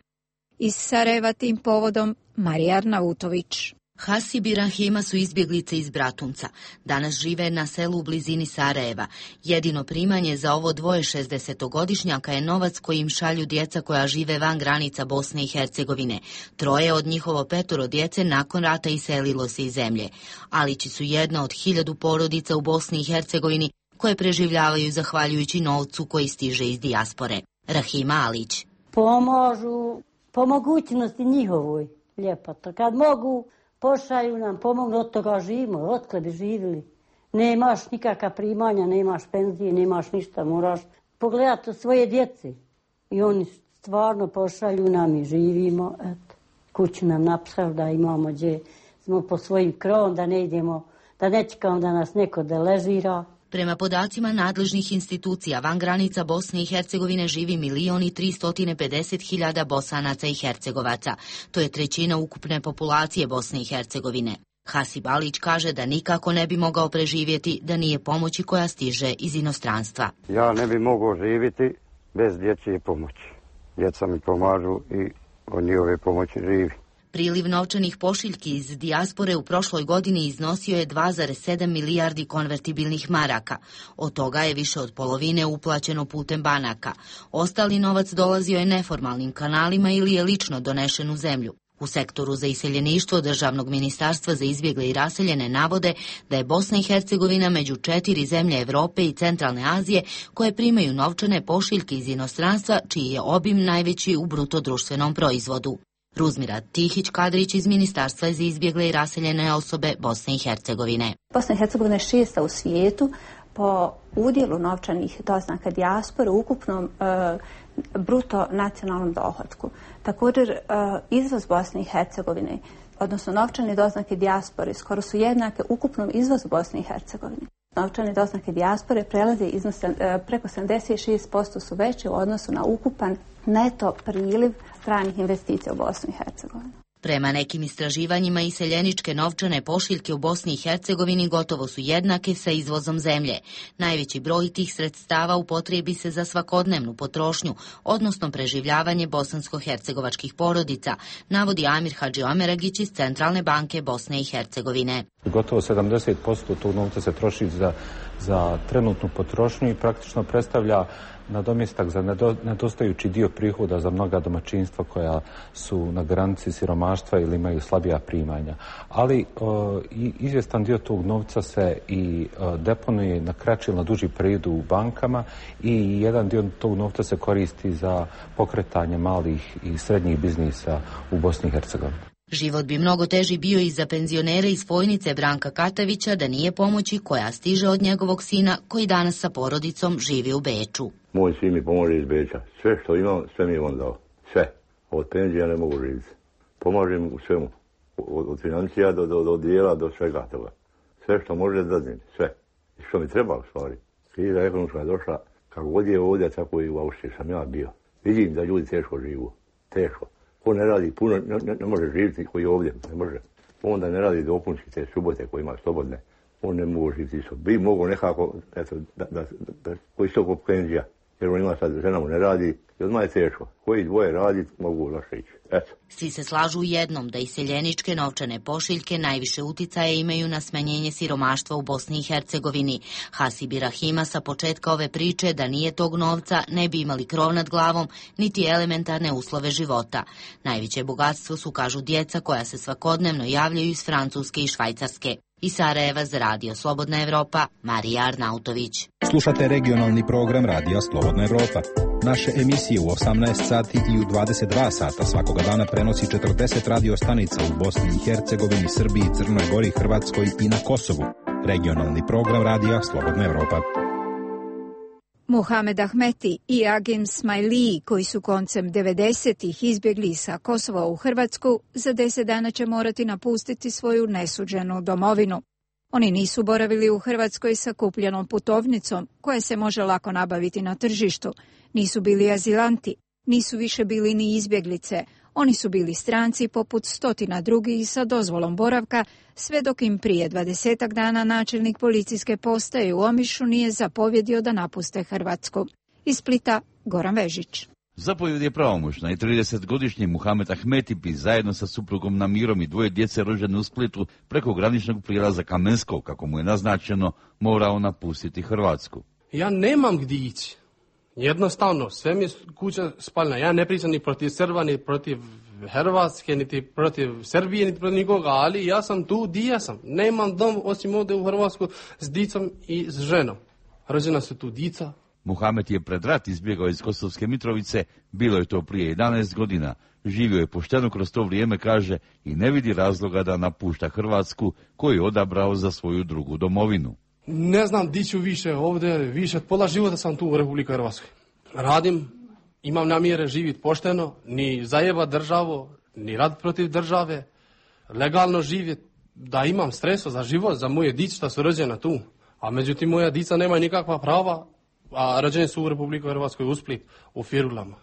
Iz Sarajeva tim povodom Marija Arnautović. Hasib i Rahima su izbjeglice iz Bratunca. Danas žive na selu u blizini Sarajeva. Jedino primanje za ovo dvoje šezdesetogodišnjaka je novac koji im šalju djeca koja žive van granica Bosne i Hercegovine. Troje od njihovo petoro djece nakon rata iselilo se iz zemlje. Alići su jedna od hiljadu porodica u Bosni i Hercegovini koje preživljavaju zahvaljujući novcu koji stiže iz dijaspore. Rahima Alić. Pomažu po mogućnosti njihovoj. Ljepota. Kad mogu, pošalju nam, pomognu, od toga živimo, od bi živili. Nemaš nikakva primanja, nemaš penzije, nemaš ništa, moraš pogledati o svoje djece. I oni stvarno pošalju nam i živimo. Eto, kuću nam napisali da imamo gdje smo po svojim krovom, da ne idemo, da ne čekamo da nas neko deležira. Prema podacima nadležnih institucija, van granica Bosne i Hercegovine živi milion i tristotine pedeset hiljada Bosanaca i Hercegovaca. To je trećina ukupne populacije Bosne i Hercegovine. Hasib Alić kaže da nikako ne bi mogao preživjeti da nije pomoći koja stiže iz inostranstva. Ja ne bi mogao živjeti bez dječje pomoći. Djeca mi pomažu i od njihove pomoći živi. Priliv novčanih pošiljki iz dijaspore u prošloj godini iznosio je dva zarez sedam milijardi konvertibilnih maraka. Od toga je više od polovine uplaćeno putem banaka. Ostali novac dolazio je neformalnim kanalima ili je lično donešen u zemlju. U sektoru za iseljeništvo Državnog ministarstva za izbjegle i raseljene navode da je Bosna i Hercegovina među četiri zemlje Evrope i Centralne Azije koje primaju novčane pošiljke iz inostranstva, čiji je obim najveći u bruto društvenom proizvodu. Ruzmira Tihić-Kadrić iz Ministarstva za izbjegle i raseljene osobe Bosne i Hercegovine. Bosna i Hercegovina je šesta u svijetu po udjelu novčanih doznaka dijaspore u ukupnom e, bruto nacionalnom dohotku. Također e, izvoz Bosne i Hercegovine, odnosno novčane doznake dijaspore, skoro su jednake ukupnom izvozu Bosne i Hercegovine. Novčane doznake dijaspore prelaze iznos e, preko sedamdeset šest posto su veće u odnosu na ukupan neto priliv stranih investicija u Bosnu i Hercegovinu. Prema nekim istraživanjima, iseljeničke novčane pošiljke u Bosni i Hercegovini gotovo su jednake sa izvozom zemlje. Najveći broj tih sredstava upotrebi se za svakodnevnu potrošnju, odnosno preživljavanje bosansko-hercegovačkih porodica, navodi Amir Hadžiomeragić iz Centralne banke Bosne i Hercegovine. Gotovo sedamdeset posto tog novca se troši za, za trenutnu potrošnju i praktično predstavlja nadomjestak za nedostajući dio prihoda za mnoga domaćinstva koja su na granici siromaštva ili imaju slabija primanja. Ali o, i izvjestan dio tog novca se i o, deponuje na kraći ili na duži period u bankama i jedan dio tog novca se koristi za pokretanje malih i srednjih biznisa u Bosni i Hercegovini. Život bi mnogo teži bio i za penzionere iz Fojnice Branka Katavića da nije pomoći koja stiže od njegovog sina koji danas sa porodicom živi u Beču. Moj sin mi pomože iz Beča. Sve što imam, sve mi je on dao. Sve. Od penzija ne mogu živjeti. Pomažem u svemu. Od, od financija do, do, do dijela do svega toga. Sve što može da dadim. Sve. I što mi treba u stvari. Kriza ekonomska je došla. Kako god je ovdje, tako i u Austriji sam ja bio. Vidim da ljudi teško živu. Teško. Ko ne radi puno, ne, ne, ne može živjeti koji je ovdje, ne može. Onda ne radi dopunski te subote koje ima slobodne. On ne mogu živjeti isto. Bi mogo nekako, eto, da, da, da, da koji isto kod penzija. Jer on ima sad, žena mu ne radi i odmah je teško. Koji dvoje radi, mogu loše ići. Eto. Svi se slažu u jednom da iseljeničke novčane pošiljke najviše uticaje imaju na smanjenje siromaštva u Bosni i Hercegovini. Hasib Rahima sa početka ove priče da nije tog novca ne bi imali krov nad glavom niti elementarne uslove života. Najveće bogatstvo su, kažu, djeca koja se svakodnevno javljaju iz Francuske i Švajcarske. Iz Sarajeva za Radio Slobodna Evropa, Marija Arnautović. Slušate regionalni program Radija Slobodna Evropa. Naše emisije u osamnaest sati i u dvadeset dva sata svakoga dana prenosi četrdeset radio stanica u Bosni i Hercegovini, Srbiji, Crnoj Gori, Hrvatskoj i na Kosovu. Regionalni program Radija Slobodna Evropa. Muhamed Ahmeti i Agim Smajliji, koji su koncem devedesetih izbjegli sa Kosova u Hrvatsku, za deset dana će morati napustiti svoju nesuđenu domovinu. Oni nisu boravili u Hrvatskoj sa kupljenom putovnicom, koja se može lako nabaviti na tržištu. Nisu bili azilanti, nisu više bili ni izbjeglice. Oni su bili stranci poput stotina drugih sa dozvolom boravka, sve dok im prije dvadesetak dana načelnik policijske postaje u Omišu nije zapovjedio da napuste Hrvatsku. Iz Splita, Goran Vežić. Zapovjed je pravomoćna i tridesetgodišnji Muhamed Ahmeti bi zajedno sa suprugom Namirom i dvoje djece rođene u Splitu preko graničnog prijelaza Kamensko, kako mu je naznačeno, morao napustiti Hrvatsku. Ja nemam gdje ići. Jednostavno, sve mi je kuća spaljena. Ja ne pričam ni protiv Srba, ni protiv Hrvatske, niti protiv Srbije, niti protiv nikoga, ali ja sam tu di ja sam. Nemam dom osim ovdje u Hrvatsku s dicom i s ženom. Rođena su tu dica. Muhamed je pred rat izbjegao iz Kosovske Mitrovice, bilo je to prije jedanaest godina. Živio je pošteno kroz to vrijeme, kaže, i ne vidi razloga da napušta Hrvatsku, koju je odabrao za svoju drugu domovinu. Ne znam di ću više ovdje, više od pola života sam tu u Republike Hrvatskoj. Radim, imam namjere živjeti pošteno, ni zajeba državu, ni rad protiv države, legalno živjeti, da imam streso za život, za moje dice što su rođena tu. A međutim, moja dica nema nikakva prava, a rođeni su u Republike Hrvatskoj u Split, u Firulama.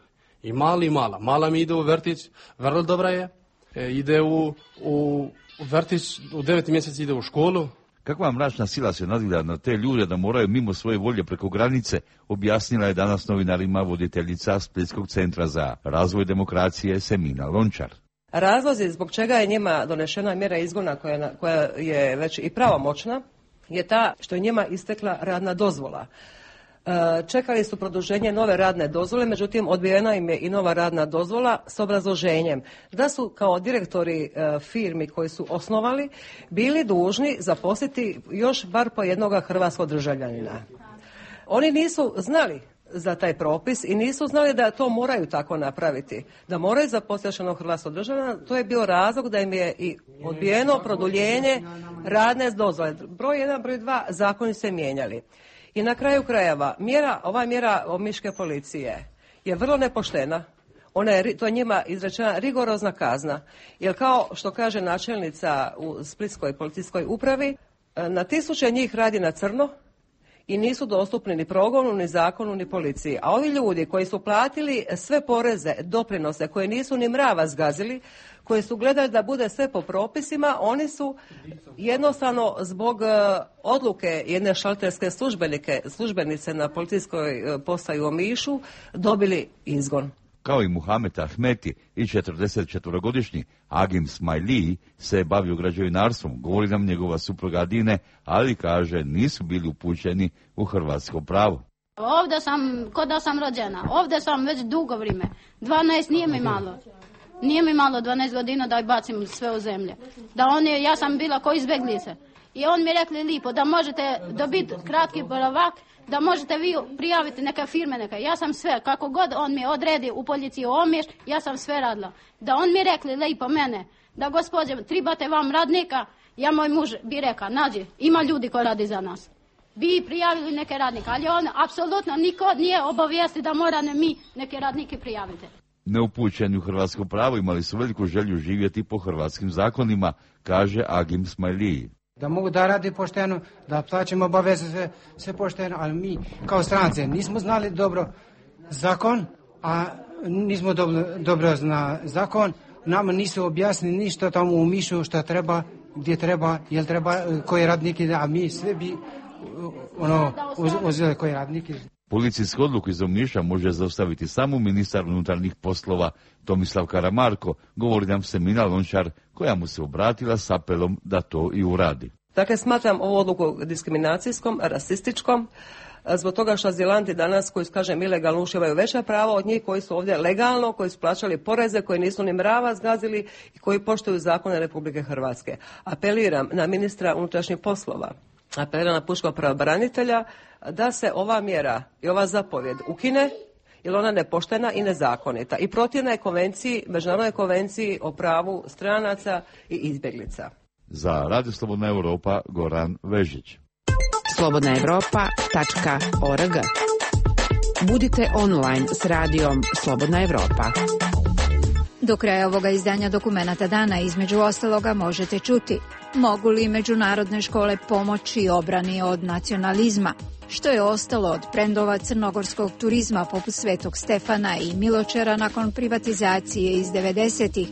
I mali i mala. Mala mi ide u vrtić, vrlo dobra je, e, ide u, u vrtić, u deveti mjesec ide u školu. Kakva mračna sila se nadvila na te ljude da moraju mimo svoje volje preko granice, objasnila je danas novinarima voditeljica Splitskog centra za razvoj demokracije Semina Lončar. Razlozi zbog čega je njima donešena mjera izgona koja, koja je već i pravomoćna je ta što je njima istekla radna dozvola. Čekali su produženje nove radne dozvole, međutim odbijena im je i nova radna dozvola s obrazloženjem da su kao direktori firmi koji su osnovali bili dužni zaposliti još bar po jednoga hrvatskog državljanina. Oni nisu znali za taj propis i nisu znali da to moraju tako napraviti, da moraju zaposliti jednog hrvatskog državljana. To je bio razlog da im je i odbijeno produljenje radne dozvole. Broj jedan, broj dva, zakoni se mijenjali. I na kraju krajeva, mjera, ova mjera omiške policije je vrlo nepoštena. Ona je, to je njima izrečena rigorozna kazna. Jer kao što kaže načelnica u Splitskoj policijskoj upravi, na tisuće njih radi na crno i nisu dostupni ni progonu, ni zakonu, ni policiji. A ovi ljudi koji su platili sve poreze, doprinose, koje nisu ni mrava zgazili, koji su gledali da bude sve po propisima, oni su jednostavno zbog uh, odluke jedne šalterske službenike, službenice na policijskoj uh, postaju u Omišu dobili izgon. Kao i Muhamed Ahmeti i četrdesetčetvorogodišnji Agim Smajliji se bavio građevinarstvom, govori nam njegova supruga Adine, ali kaže nisu bili upućeni u hrvatsko pravo. Ovdje sam, kod da sam rođena, ovdje sam već dugo vrijeme, dvanaest nije mi malo. Nije mi malo dvanaest godina da bacim sve u zemlje. Da on je, ja sam bila ko izbjeglice. I on mi rekli lipo da možete dobiti kratki boravak, da možete vi prijaviti neke firme neke. Ja sam sve, kako god on mi odredi u policiju Omiš, ja sam sve radila. Da on mi rekli lipo mene, da gospođe, tribate vam radnika, ja moj muž bi reka, nađi, ima ljudi koji radi za nas. Bi prijavili neke radnike, ali on apsolutno niko nije obavijesti da mora ne mi neke radnike prijaviti. Neupućeni u hrvatsko pravo imali su veliku želju živjeti po hrvatskim zakonima, kaže Agim Smajliji. Da mogu da radi pošteno, da plaćamo obaveze sve, sve pošteno, ali mi kao strance nismo znali dobro zakon, a nismo dobro, dobro zna zakon. Nama nisu objasnili ništa tamo u Mišu šta treba, gdje treba, jel treba, koji radniki, a mi sve bi ono, uz, uzeli koji radniki. Policijsku odluku iz Omiša može zaustaviti samo ministar unutarnjih poslova Tomislav Karamarko, govori nam Semina Lončar, koja mu se obratila s apelom da to i uradi. Dakle, smatram ovu odluku diskriminacijskom, rasističkom, zbog toga što azilanti danas, koji su, kažem, ilegalno uživaju veća prava od njih koji su ovdje legalno, koji su plaćali poreze, koji nisu ni mrava zgazili i koji poštuju zakone Republike Hrvatske. Apeliram na ministra unutrašnjih poslova, apeliram na pučkog pravobranitelja da se ova mjera i ova zapovjed ukine, jer ona nepoštena i nezakonita i protivna je konvenciji, međunarodnoj konvenciji o pravu stranaca i izbjeglica. Za Radio Slobodna Europa, Goran Vežić. slobodna europa tačka org. Budite online s radijom Slobodna Europa. Do kraja ovoga izdanja Dokumenata dana između ostaloga možete čuti: mogu li međunarodne škole pomoći obrani od nacionalizma? Što je ostalo od brendova crnogorskog turizma poput Svetog Stefana i Miločera nakon privatizacije iz devedesetih?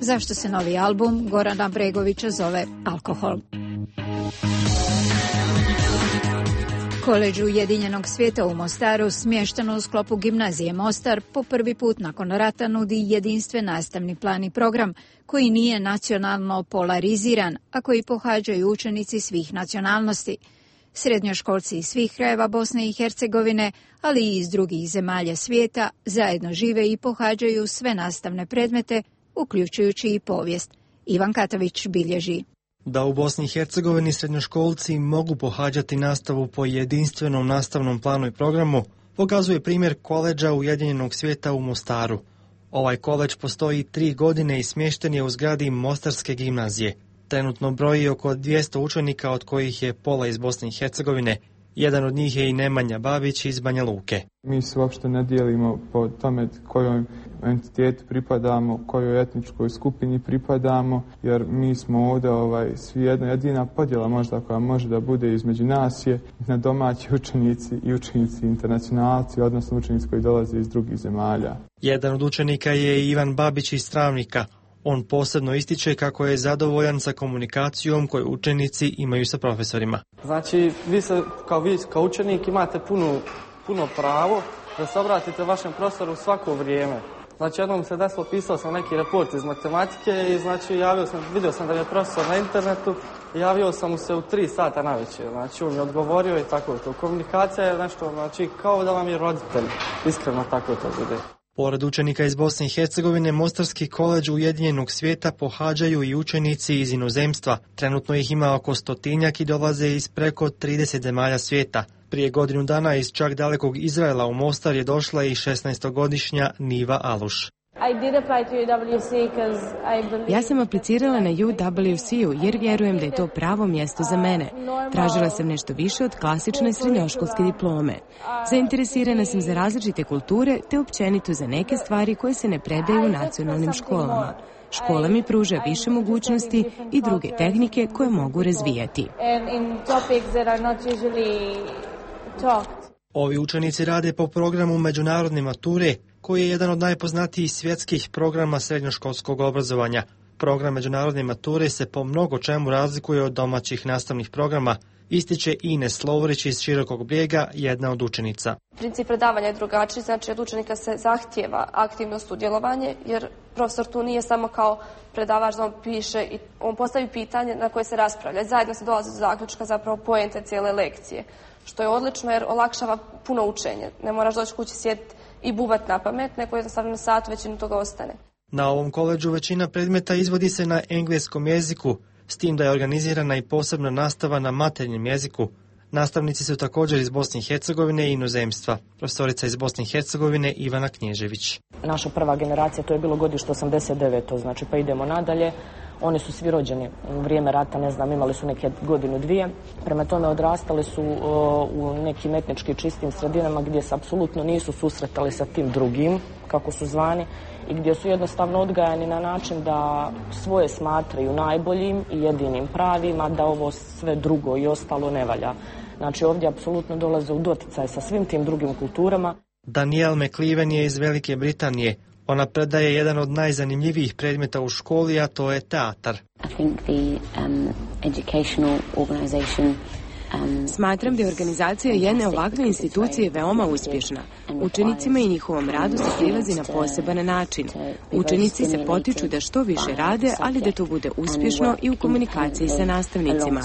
Zašto se novi album Gorana Bregovića zove Alkohol? Koledž Ujedinjenog svijeta u Mostaru, smješteno u sklopu gimnazije Mostar, po prvi put nakon rata nudi jedinstven nastavni plan i program koji nije nacionalno polariziran, a koji pohađaju učenici svih nacionalnosti. Srednjoškolci iz svih krajeva Bosne i Hercegovine, ali i iz drugih zemalja svijeta, zajedno žive i pohađaju sve nastavne predmete, uključujući i povijest. Ivan Katavić bilježi. Da u Bosni i Hercegovini srednjoškolci mogu pohađati nastavu po jedinstvenom nastavnom planu i programu, pokazuje primjer koledža Ujedinjenog svijeta u Mostaru. Ovaj koledž postoji tri godine i smješten je u zgradi Mostarske gimnazije. Trenutno broji oko dvjesto učenika, od kojih je pola iz Bosne i Hercegovine. Jedan od njih je i Nemanja Babić iz Banja Luke. Mi se uopšte ne dijelimo po tome kojom entitetu pripadamo, kojoj etničkoj skupini pripadamo, jer mi smo ovdje ovaj, svi jedna jedina podjela možda koja može da bude između nas je na domaći učenici i učenici internacionalci, odnosno učenici koji dolaze iz drugih zemalja. Jedan od učenika je Ivan Babić iz Travnika. On posebno ističe kako je zadovoljan sa komunikacijom koju učenici imaju sa profesorima. Znači, vi se, kao vi kao učenik imate puno, puno pravo da se obratite vašem profesoru svako vrijeme. Znači, jednom se desilo, pisao sam neki report iz matematike i znači javio sam, vidio sam da je profesor na internetu i javio sam mu se u tri sata navečer. Znači, on mi odgovorio i tako to. Komunikacija je nešto, znači, kao da vam je roditelj. Iskreno tako to bude. Pored učenika iz Bosne i Hercegovine, Mostarski koledž Ujedinjenog svijeta pohađaju i učenici iz inozemstva. Trenutno ih ima oko stotinjak i dolaze iz preko trideset zemalja svijeta. Prije godinu dana iz čak dalekog Izraela u Mostar je došla i šesnaestogodišnja Niva Aluš. Ja sam aplicirala na U W C-u jer vjerujem da je to pravo mjesto za mene. Tražila sam nešto više od klasične srednjoškolske diplome. Zainteresirana sam za različite kulture te općenito za neke stvari koje se ne predaju u nacionalnim školama. Škola mi pruža više mogućnosti i druge tehnike koje mogu razvijati. Ovi učenici rade po programu međunarodne mature, koji je jedan od najpoznatijih svjetskih programa srednjoškolskog obrazovanja. Program međunarodne mature se po mnogo čemu razlikuje od domaćih nastavnih programa, ističe Ines Lovrić iz Širokog Brijega, jedna od učenica. Princip predavanja je drugačiji, znači od učenika se zahtijeva aktivno sudjelovanje, jer profesor tu nije samo kao predavač da on piše i on postavi pitanje na koje se raspravlja. Zajedno se dolazi do zaključka, zapravo poente cijele lekcije, što je odlično jer olakšava puno učenje. Ne moraš doći kući sjediti i bubat na pamet, neko jednostavno na sat većinu toga ostane. Na ovom koledžu većina predmeta izvodi se na engleskom jeziku, s tim da je organizirana i posebna nastava na materinjem jeziku. Nastavnici su također iz Bosne i Hercegovine i inozemstva. Profesorica iz Bosne i Hercegovine Ivana Knježević. Naša prva generacija, to je bilo godište osamdeset deveto znači pa idemo nadalje. Oni su svi rođeni u vrijeme rata, ne znam, imali su neke godinu, dvije. Prema tome odrastali su o, u nekim etnički čistim sredinama gdje se apsolutno nisu susretali sa tim drugim, kako su zvani, i gdje su jednostavno odgajani na način da svoje smatraju najboljim i jedinim pravima, da ovo sve drugo i ostalo ne valja. Znači ovdje apsolutno dolaze u doticaj sa svim tim drugim kulturama. Danielle McLeven je iz Velike Britanije. Ona predaje jedan od najzanimljivijih predmeta u školi, a to je teatar. Smatram da je organizacija jedne ovakve institucije veoma uspješna. Učenicima i njihovom radu se prilazi na poseban način. Učenici se potiču da što više rade, ali da to bude uspješno i u komunikaciji sa nastavnicima.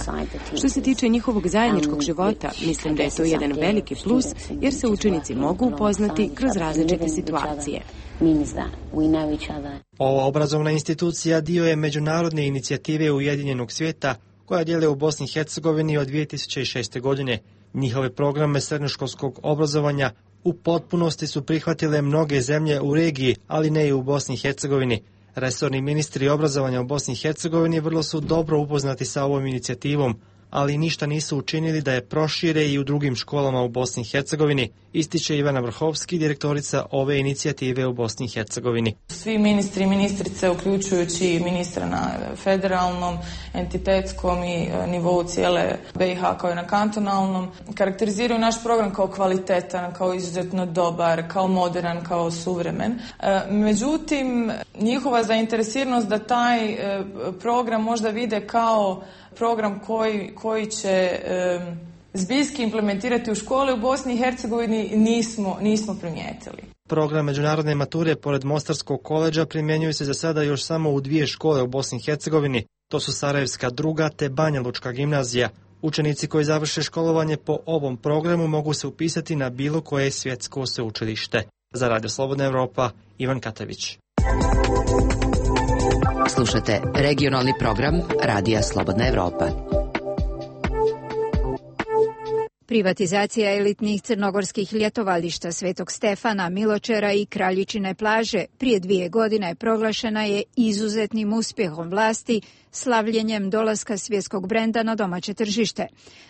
Što se tiče njihovog zajedničkog života, mislim da je to jedan veliki plus, jer se učenici mogu upoznati kroz različite situacije. Ova obrazovna institucija dio je međunarodne inicijative Ujedinjenog svijeta koja djeluje u Bosni i Hercegovini od dvije tisuće šeste. godine. Njihove programe srednjoškolskog obrazovanja u potpunosti su prihvatile mnoge zemlje u regiji, ali ne i u Bosni i Hercegovini. Resorni ministri obrazovanja u Bosni i Hercegovini vrlo su dobro upoznati sa ovom inicijativom, ali ništa nisu učinili da je prošire i u drugim školama u Bosni i Hercegovini, ističe Ivana Vrhovski, direktorica ove inicijative u Bosni i Hercegovini. Svi ministri i ministrice, uključujući ministra na federalnom, entitetskom i nivou cijele B i H kao i na kantonalnom, karakteriziraju naš program kao kvalitetan, kao izuzetno dobar, kao modern, kao suvremen. Međutim, njihova zainteresiranost da taj program možda vide kao program koji, koji će um, zbiljski implementirati u škole u Bosni i Hercegovini nismo, nismo primijetili. Program međunarodne mature pored Mostarskog koledža primjenjuje se za sada još samo u dvije škole u Bosni i Hercegovini. To su Sarajevska druga te Banja Lučka gimnazija. Učenici koji završe školovanje po ovom programu mogu se upisati na bilo koje svjetsko sveučilište. Za Radio Slobodna Evropa, Ivan Katavić. Slušate regionalni program Radija Slobodna Evropa. Privatizacija elitnih crnogorskih ljetovališta Svetog Stefana, Miločera i Kraljičine plaže prije dvije godine proglašena je izuzetnim uspjehom vlasti, slavljenjem dolaska svjetskog brenda na domaće tržište.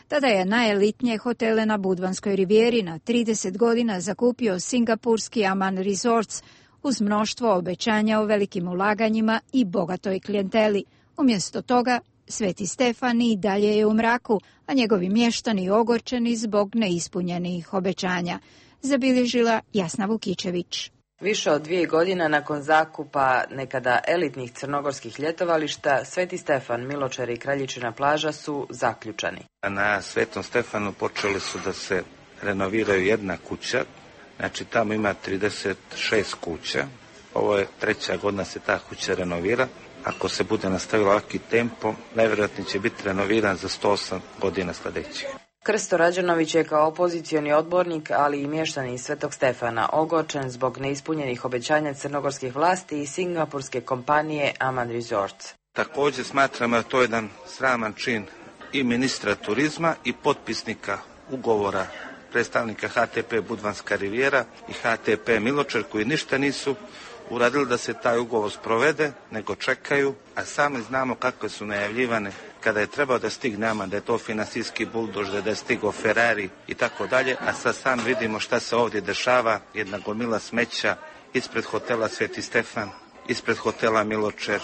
Tada je najelitnije hotele na Budvanskoj rivijeri na trideset godina zakupio singapurski Aman Resorts, uz mnoštvo obećanja o velikim ulaganjima i bogatoj klijenteli. Umjesto toga, Sveti Stefan i dalje je u mraku, a njegovi mještani ogorčeni zbog neispunjenih obećanja. Zabilježila Jasna Vukičević. Više od dvije godina nakon zakupa nekada elitnih crnogorskih ljetovališta, Sveti Stefan, Miločer i Kraljičina plaža su zaključani. Na Svetom Stefanu počeli su da se renoviraju jedna kuća. Znači tamo ima trideset šest kuća, ovo je treća godina se ta kuća renovira. Ako se bude nastavilo ovaki tempo, najvjerojatnije će biti renoviran za sto osam godina sljedećih. Krsto Rađanović je kao opozicioni odbornik, ali i mještani iz Svetog Stefana, ogorčen zbog neispunjenih obećanja crnogorskih vlasti i singapurske kompanije Aman Resorts. Također smatramo da to je jedan sraman čin i ministra turizma i potpisnika ugovora predstavnika H T P Budvanska rivijera i H T P Miločer, koji ništa nisu uradili da se taj ugovor sprovede, nego čekaju, a sami znamo kakve su najavljivane kada je trebao da stigne nama, da je to finansijski buldož, da je stigao Ferrari i tako dalje, a sad sam vidimo šta se ovdje dešava, jedna gomila smeća ispred hotela Sveti Stefan, ispred hotela Miločer,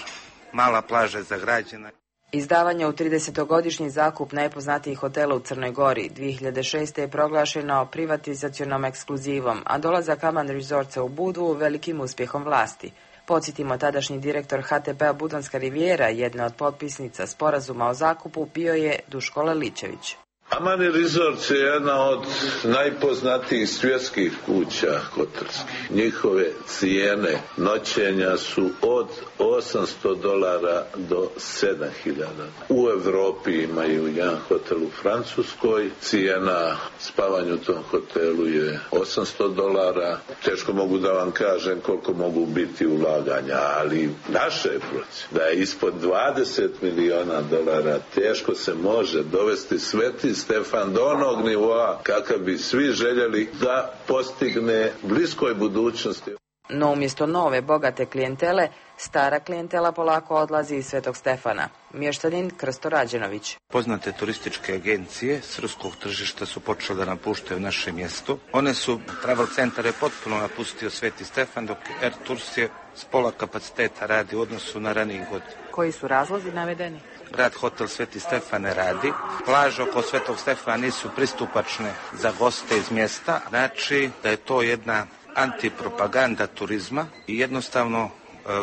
mala plaža je zagrađena. Izdavanje u tridesetogodišnji zakup najpoznatijih hotela u Crnoj Gori dvije hiljade šeste. je proglašeno privatizacionom ekskluzivom, a dolazak Aman Resortsa u Budvu velikim uspjehom vlasti. Podsjetimo, tadašnji direktor ha te pe-a Budvanska rivijera, jedna od potpisnica sporazuma o zakupu, bio je Duško Leličević. Aman Resorts je jedna od najpoznatijih svjetskih kuća hotelskih. Njihove cijene noćenja su od osamsto dolara do sedam hiljada. U Europi imaju jedan hotel u Francuskoj. Cijena spavanja u tom hotelu je osamsto dolara. Teško mogu da vam kažem koliko mogu biti ulaganja, ali naše je procjena da je ispod dvadeset miliona dolara teško se može dovesti Sveti Stefan do onog nivoa kakav bi svi željeli da postigne bliskoj budućnosti. No umjesto nove, bogate klijentele, stara klijentela polako odlazi iz Svetog Stefana. Mještanin Krsto Rađenović. Poznate turističke agencije s ruskog tržišta su počele da napuštaju naše mjesto. One su, travel centar je potpuno napustio Sveti Stefan, dok Air Tours je s pola kapaciteta radi u odnosu na raniji godin. Koji su razlozi navedeni? Grad hotel Sveti Stefan ne radi. Plaže oko Svetog Stefana nisu pristupačne za goste iz mjesta. Znači da je to jedna antipropaganda turizma i jednostavno e,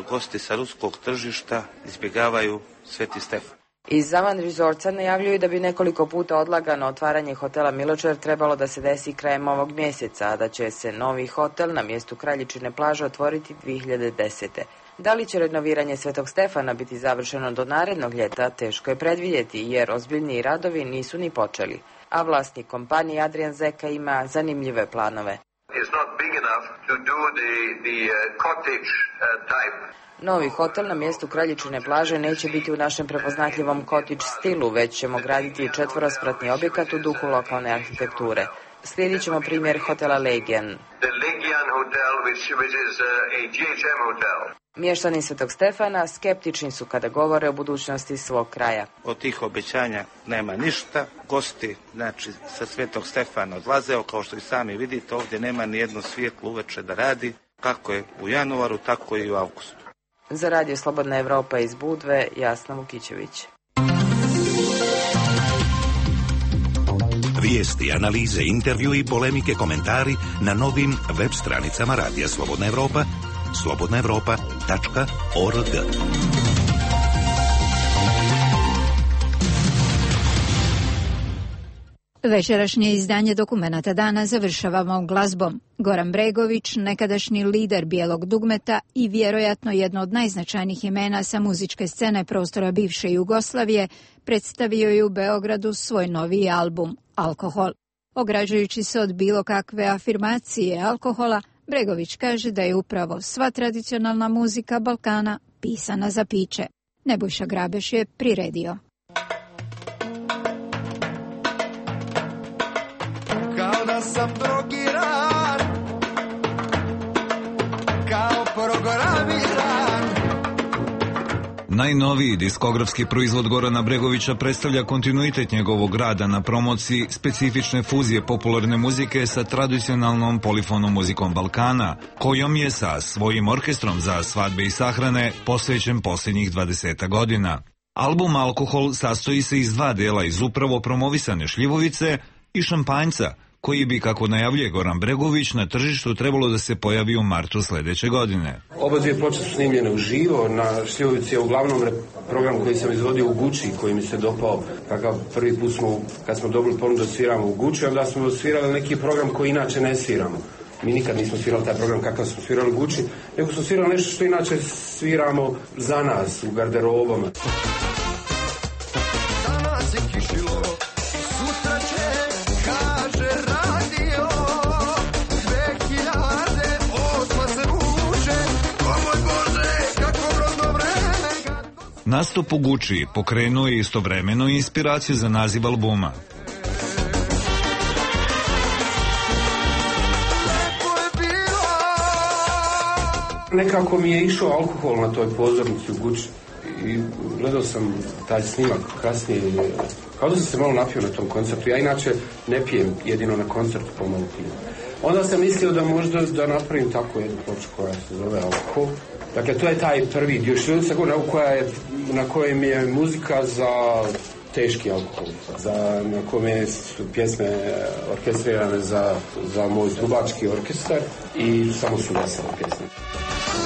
gosti sa ruskog tržišta izbjegavaju Sveti Stefan. Iz Aman Resortsa najavljuju da bi nekoliko puta odlagano otvaranje hotela Miločer trebalo da se desi krajem ovog mjeseca, a da će se novi hotel na mjestu Kraljičine plaže otvoriti dvije hiljade desete. Da li će renoviranje Svetog Stefana biti završeno do narednog ljeta, teško je predvidjeti, jer ozbiljniji radovi nisu ni počeli. A vlasnik kompanije Adrian Zeka ima zanimljive planove. Novi hotel na mjestu Kraljičine plaže neće biti u našem prepoznatljivom cottage stilu, već ćemo graditi četvorospratni objekat u duhu lokalne arhitekture. Slijedit ćemo primjer hotela Legian. Mještani Svetog Stefana skeptični su kada govore o budućnosti svog kraja. Od tih obećanja nema ništa. Gosti, znači, sa Svetog Stefana odlaze, kao što i sami vidite, ovdje nema ni jedno svjetlo uveče da radi, kako je u januaru, tako i u avgustu. Za Radio Slobodna Evropa iz Budve, Jasna Vukićević. Vijesti, analize, intervju i polemike, komentari na novim web stranicama Radija Slobodna Evropa, slobodna evropa tačka org. Večerašnje izdanje Dokumenata dana završavamo glazbom. Goran Bregović, nekadašnji lider Bijelog dugmeta i vjerojatno jedno od najznačajnijih imena sa muzičke scene prostora bivše Jugoslavije, predstavio je u Beogradu svoj novi album Alkohol. Ograđujući se od bilo kakve afirmacije alkohola, Bregović kaže da je upravo sva tradicionalna muzika Balkana pisana za piće. Nebojša Grabeš je priredio. Kao da sam drogiran, kao programiran. Najnoviji diskografski proizvod Gorana Bregovića predstavlja kontinuitet njegovog rada na promociji specifične fuzije popularne muzike sa tradicionalnom polifonom muzikom Balkana, kojom je sa svojim orkestrom za svadbe i sahrane posvećen posljednjih dvadeset godina. Album Alkohol sastoji se iz dva dela iz upravo promovisane šljivovice i šampanjca, koji bi, kako najavljuje Goran Bregović, na tržištu trebalo da se pojavi u martu sljedeće godine. Oba dvije ploče su snimljene uživo, na šljivovici je uglavnom program koji sam izvodio u Guči, koji mi se dopao, kakav prvi put smo, kad smo dobili ponudu da sviramo u Guči, onda smo svirali neki program koji inače ne sviramo. Mi nikad nismo svirali taj program kakav smo svirali u Guči, nego smo svirali nešto što inače sviramo za nas, u garderobama. Danas je kišilo, sutra će, kaže radio, dve hiljade osma se vuče, o moj Bože, kako rodno vreme. Nastup u Guči pokrenuo je istovremeno inspiraciju za naziv albuma. Nekako mi je išao alkohol na toj pozornici u Guči i gledao sam taj snimak kasnije, kao da sam se malo napio na tom koncertu. Ja inače ne pijem, jedino na koncertu pomalo pijem. Onda sam mislio da možda da napravim tako jednu ploču koja se zove Alkohol. Dakle, to je taj prvi dio Šriluca koja je, na kojem je muzika za teški alkohol, za, na kome su pjesme orkestrirane za, za moj trubački orkestar i samo su vesele pjesme.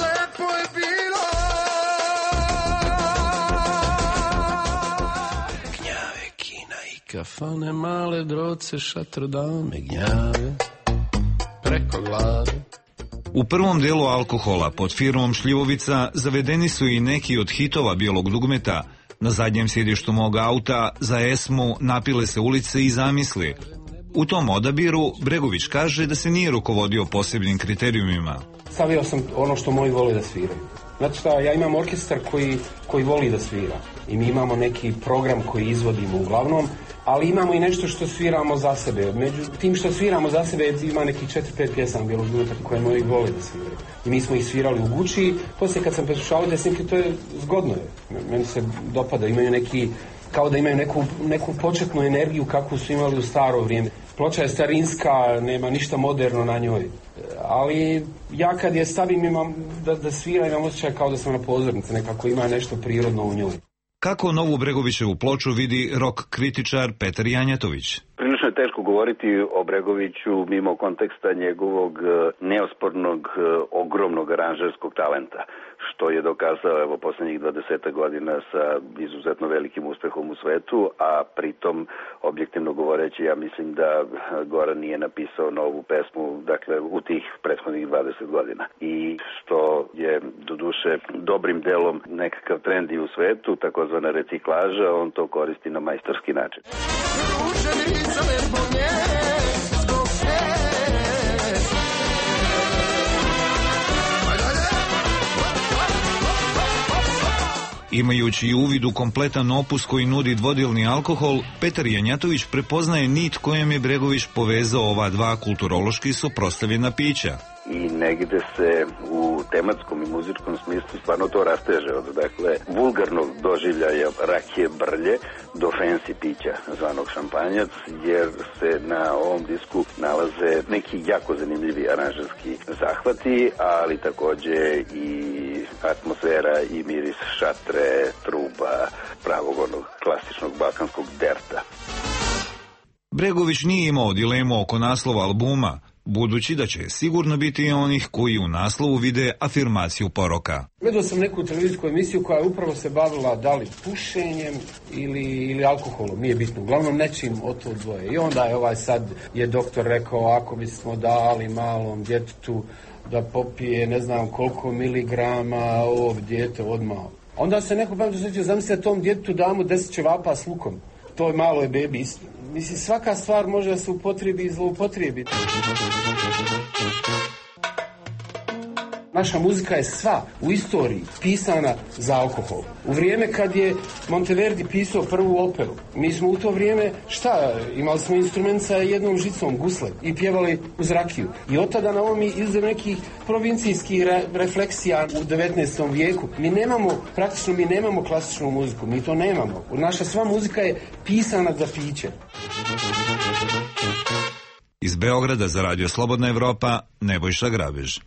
Lepo je bilo gnjave, kina i kafane, male droce, šatro dame, gnjave preko glave. U prvom delu Alkohola pod firmom Šljivovica zavedeni su i neki od hitova bijelog dugmeta. Na zadnjem sjedištu mog auta za Esmu napile se ulice i zamisli. U tom odabiru Bregović kaže da se nije rukovodio posebnim kriterijumima. Stavio sam ono što moji vole da sviraju. Znači šta, ja imam orkestar koji, koji voli da svira i mi imamo neki program koji izvodimo uglavnom, ali imamo i nešto što sviramo za sebe. Među tim što sviramo za sebe ima nekih četiri pet pjesama bijelog dugmeta koje moji vole da sviraju. I mi smo ih svirali u Guči, poslije kad sam preslušao te snimke, to je zgodno je. Meni se dopada, imaju neki, kao da imaju neku, neku početnu energiju kakvu su imali u staro vrijeme. Ploča je starinska, nema ništa moderno na njoj. Ali ja kad je stavim imam da, da svira, imam osjećaj kao da sam na pozornici, nekako ima nešto prirodno u njoj. Kako novu Bregovićevu ploču vidi rock kritičar Petar Janjatović? Prilično je teško govoriti o Bregoviću mimo konteksta njegovog neospornog, ogromnog aranžerskog talenta, što je dokazao evo posljednjih dvadeset godina sa izuzetno velikim uspehom u svetu, a pritom, objektivno govoreći, ja mislim da Goran nije napisao novu pesmu, dakle, u tih prethodnih dvadeset godina. I što je, doduše, dobrim delom nekakav trend i u svetu, takozvana reciklaža, on to koristi na majstorski način. Imajući u uvidu kompletan opus koji nudi dvodjelni Alkohol, Petar Janjatović prepoznaje nit kojem je Bregović povezao ova dva kulturološki suprotstavljena pića. I negde se u tematskom i muzičkom smislu stvarno to rasteže od, dakle, vulgarnog doživljaja rakije brlje do fancy pića zvanog šampanjac, jer se na ovom disku nalaze neki jako zanimljivi aranžerski zahvati, ali takođe i atmosfera i miris šatre, truba, pravog onog klasičnog balkanskog derta. Bregović nije imao dilemu oko naslova albuma, budući da će sigurno biti i onih koji u naslovu vide afirmaciju poroka. Gledao sam neku televizijsku emisiju koja upravo se bavila da li pušenjem ili, ili alkoholom, nije bitno, uglavnom nečim od to dvoje. I onda je ovaj sad je doktor rekao, ako bismo dali malom djetetu da popije ne znam koliko miligrama ovog djete odmah. Onda se neko pametno sjeća, zamislite tom djetetu damo deset ćevapa s lukom. To je malo je bebi. Mislim, svaka stvar može da se upotrebi i zloupotrebi. Naša muzika je sva u istoriji pisana za alkohol. U vrijeme kad je Monteverdi pisao prvu operu, mi smo u to vrijeme, šta, imali smo instrument sa jednom žicom, gusle, i pjevali uz rakiju. I od tada na ovom izdem nekih provincijskih re, refleksija u devetnaestom vijeku. Mi nemamo, praktično mi nemamo klasičnu muziku, mi to nemamo. Naša sva muzika je pisana za piće. Iz Beograda za Radio Slobodna Evropa, Nebojša Grabež.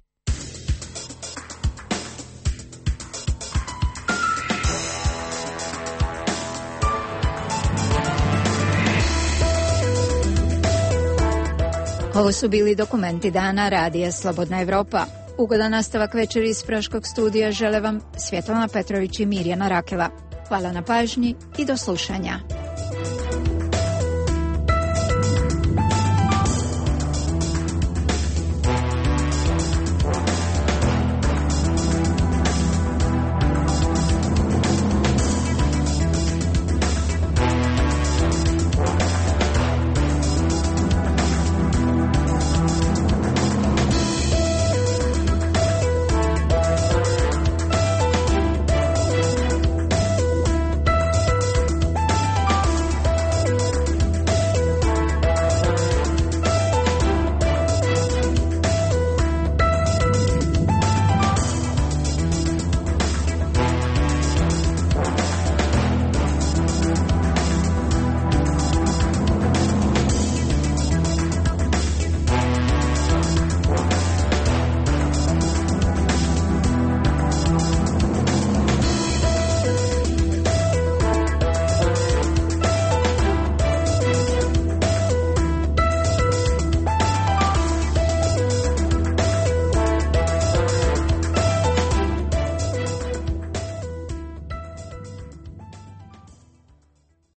Ovo su bili dokumenti dana Radija Slobodna Evropa. Ugodan nastavak večeri iz Praškog studija žele vam Svjetlana Petrović i Mirjana Rakela. Hvala na pažnji i do slušanja.